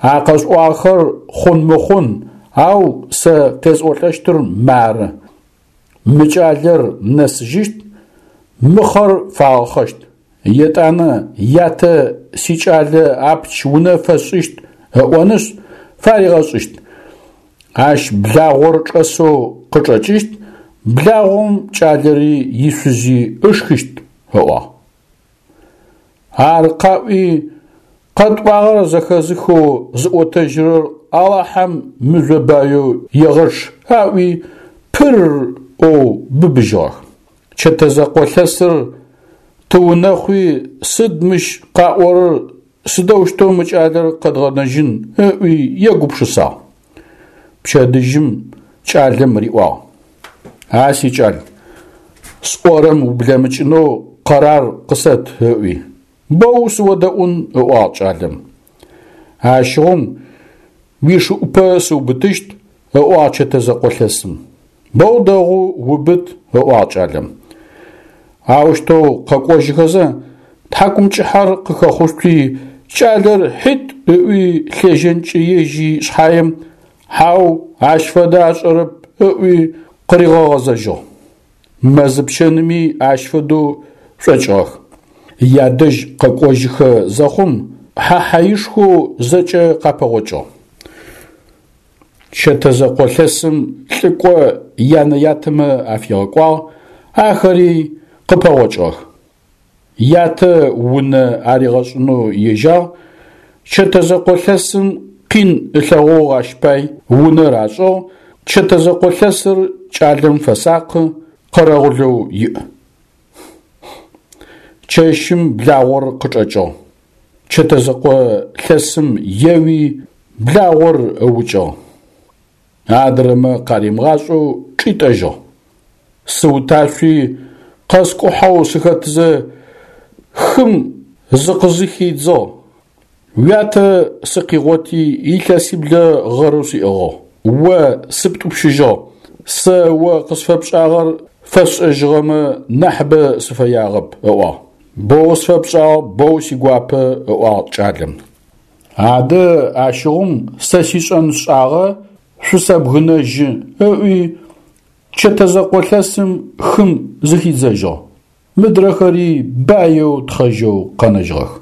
«А къэшъуӏуагъэхэр хъун-мыхъун, ау сэ къесӏолӏэщтыр мары: мы кӏалэр нэсыжьыщт, мыхъэр фагъэхъэщт. Етӏанэ ятэ сикӏалэ апч унэ фэсшӏыщт ыӏонышъ фаригъэшӏыщт. Ащ благъор чӏэсэу къычӏэкӏыщт, благъом кӏалэри ишъузи ышхыщт», ыӏуагъ. Ар къаӏуи, къэтӏуагъэр зэхэзыхэу зыӏотэжьырэр Алахьэм мыжъо баеу егъэчъ аӏуи пырр ӏоу быбыжьыгъэх. Чэтэзэкъо лъэсыр тыунэхъуи сыд мыщ къаӏорэр, сыдэущтэу мы кӏалэр къэдгъэнэжьын ыӏуи егупшысагъ. Пчэдыжьым кӏалэм риӏуагъ: «А сикӏал, сӏорэм ублэмыкӏынэу къэрар къысэт», ыӏуи. Боу сыодэӏун, ыӏуагъ кӏалэм. Ащыгъум уишыӏупэ сыубытыщт, ыӏуагъ чэтэзэкъо лъэсым. Боу дэгъу убыт, ыӏуагъ кӏалэм. Аущтэу къэкӏожьыхэзэ тхьакӏумкӏыхьэр къыхэхъушъуи кӏалэр хьит ыӏуи лъежьэнкӏэ ежьи шъхьаем, хьау, ащ фэдэ ашӏэрэп ыӏуи къыригъэгъэзэжьыгъ. Мэзыпчэными ащ фэдэу шӏокӏыгъэх. Ядэжь къэкӏожьыхэ зэхъум хьэ хьаишхоу зэкӏэ къапэгъокӏыгъ. Чэтэзэкъо лъэсым лӏыкӏо янэ-ятэмэ афигъэкӏуагъ, ахэри къыпэгъокӏыгъэх. Ятэ унэ аригъэшӏынэу ежьагъ, чэтэзэкъо лъэсым къин ылъэгъугъ ащ пай унэр ашӏыгъ, чэтэзэкъо лъэсыр кӏалэм фэсакъы, къэрэгъулэу иӏ. Чэщым благъор къычӏэкӏыгъ. Чэтэзэкъо лъэсым еуи благъор ыукӏыгъ. Адрэмэ къаримыгъашӏэу чӏитӏэжьыгъ. Сыуташъуи къэскӏухьэу сыхэтызэ хым зыкъызыхидзыгъ. Уятэ сыкъигъоти илъэсиблэ гъэрэу сиӏыгъыгъ. О сыптӏупщыжьыгъ. Сэ о къысфэпшӏагъэр фэсшӏэжьыгъэмэ нахьыбэ сыфэягъэп, ыӏуагъ. Боу сфэпшӏагъ, боу сигуапэ, ыӏуагъ кӏалэм. Адэ ащыгъум сэ сишӏэн сшӏагъэ шъусэбгынэжьы, ыӏуи чэтэзэкъо лъэсым хым зыхидзэжьыгъ. Мыдрэхэри баеу тхъэжьэу къэнэжьыгъэх.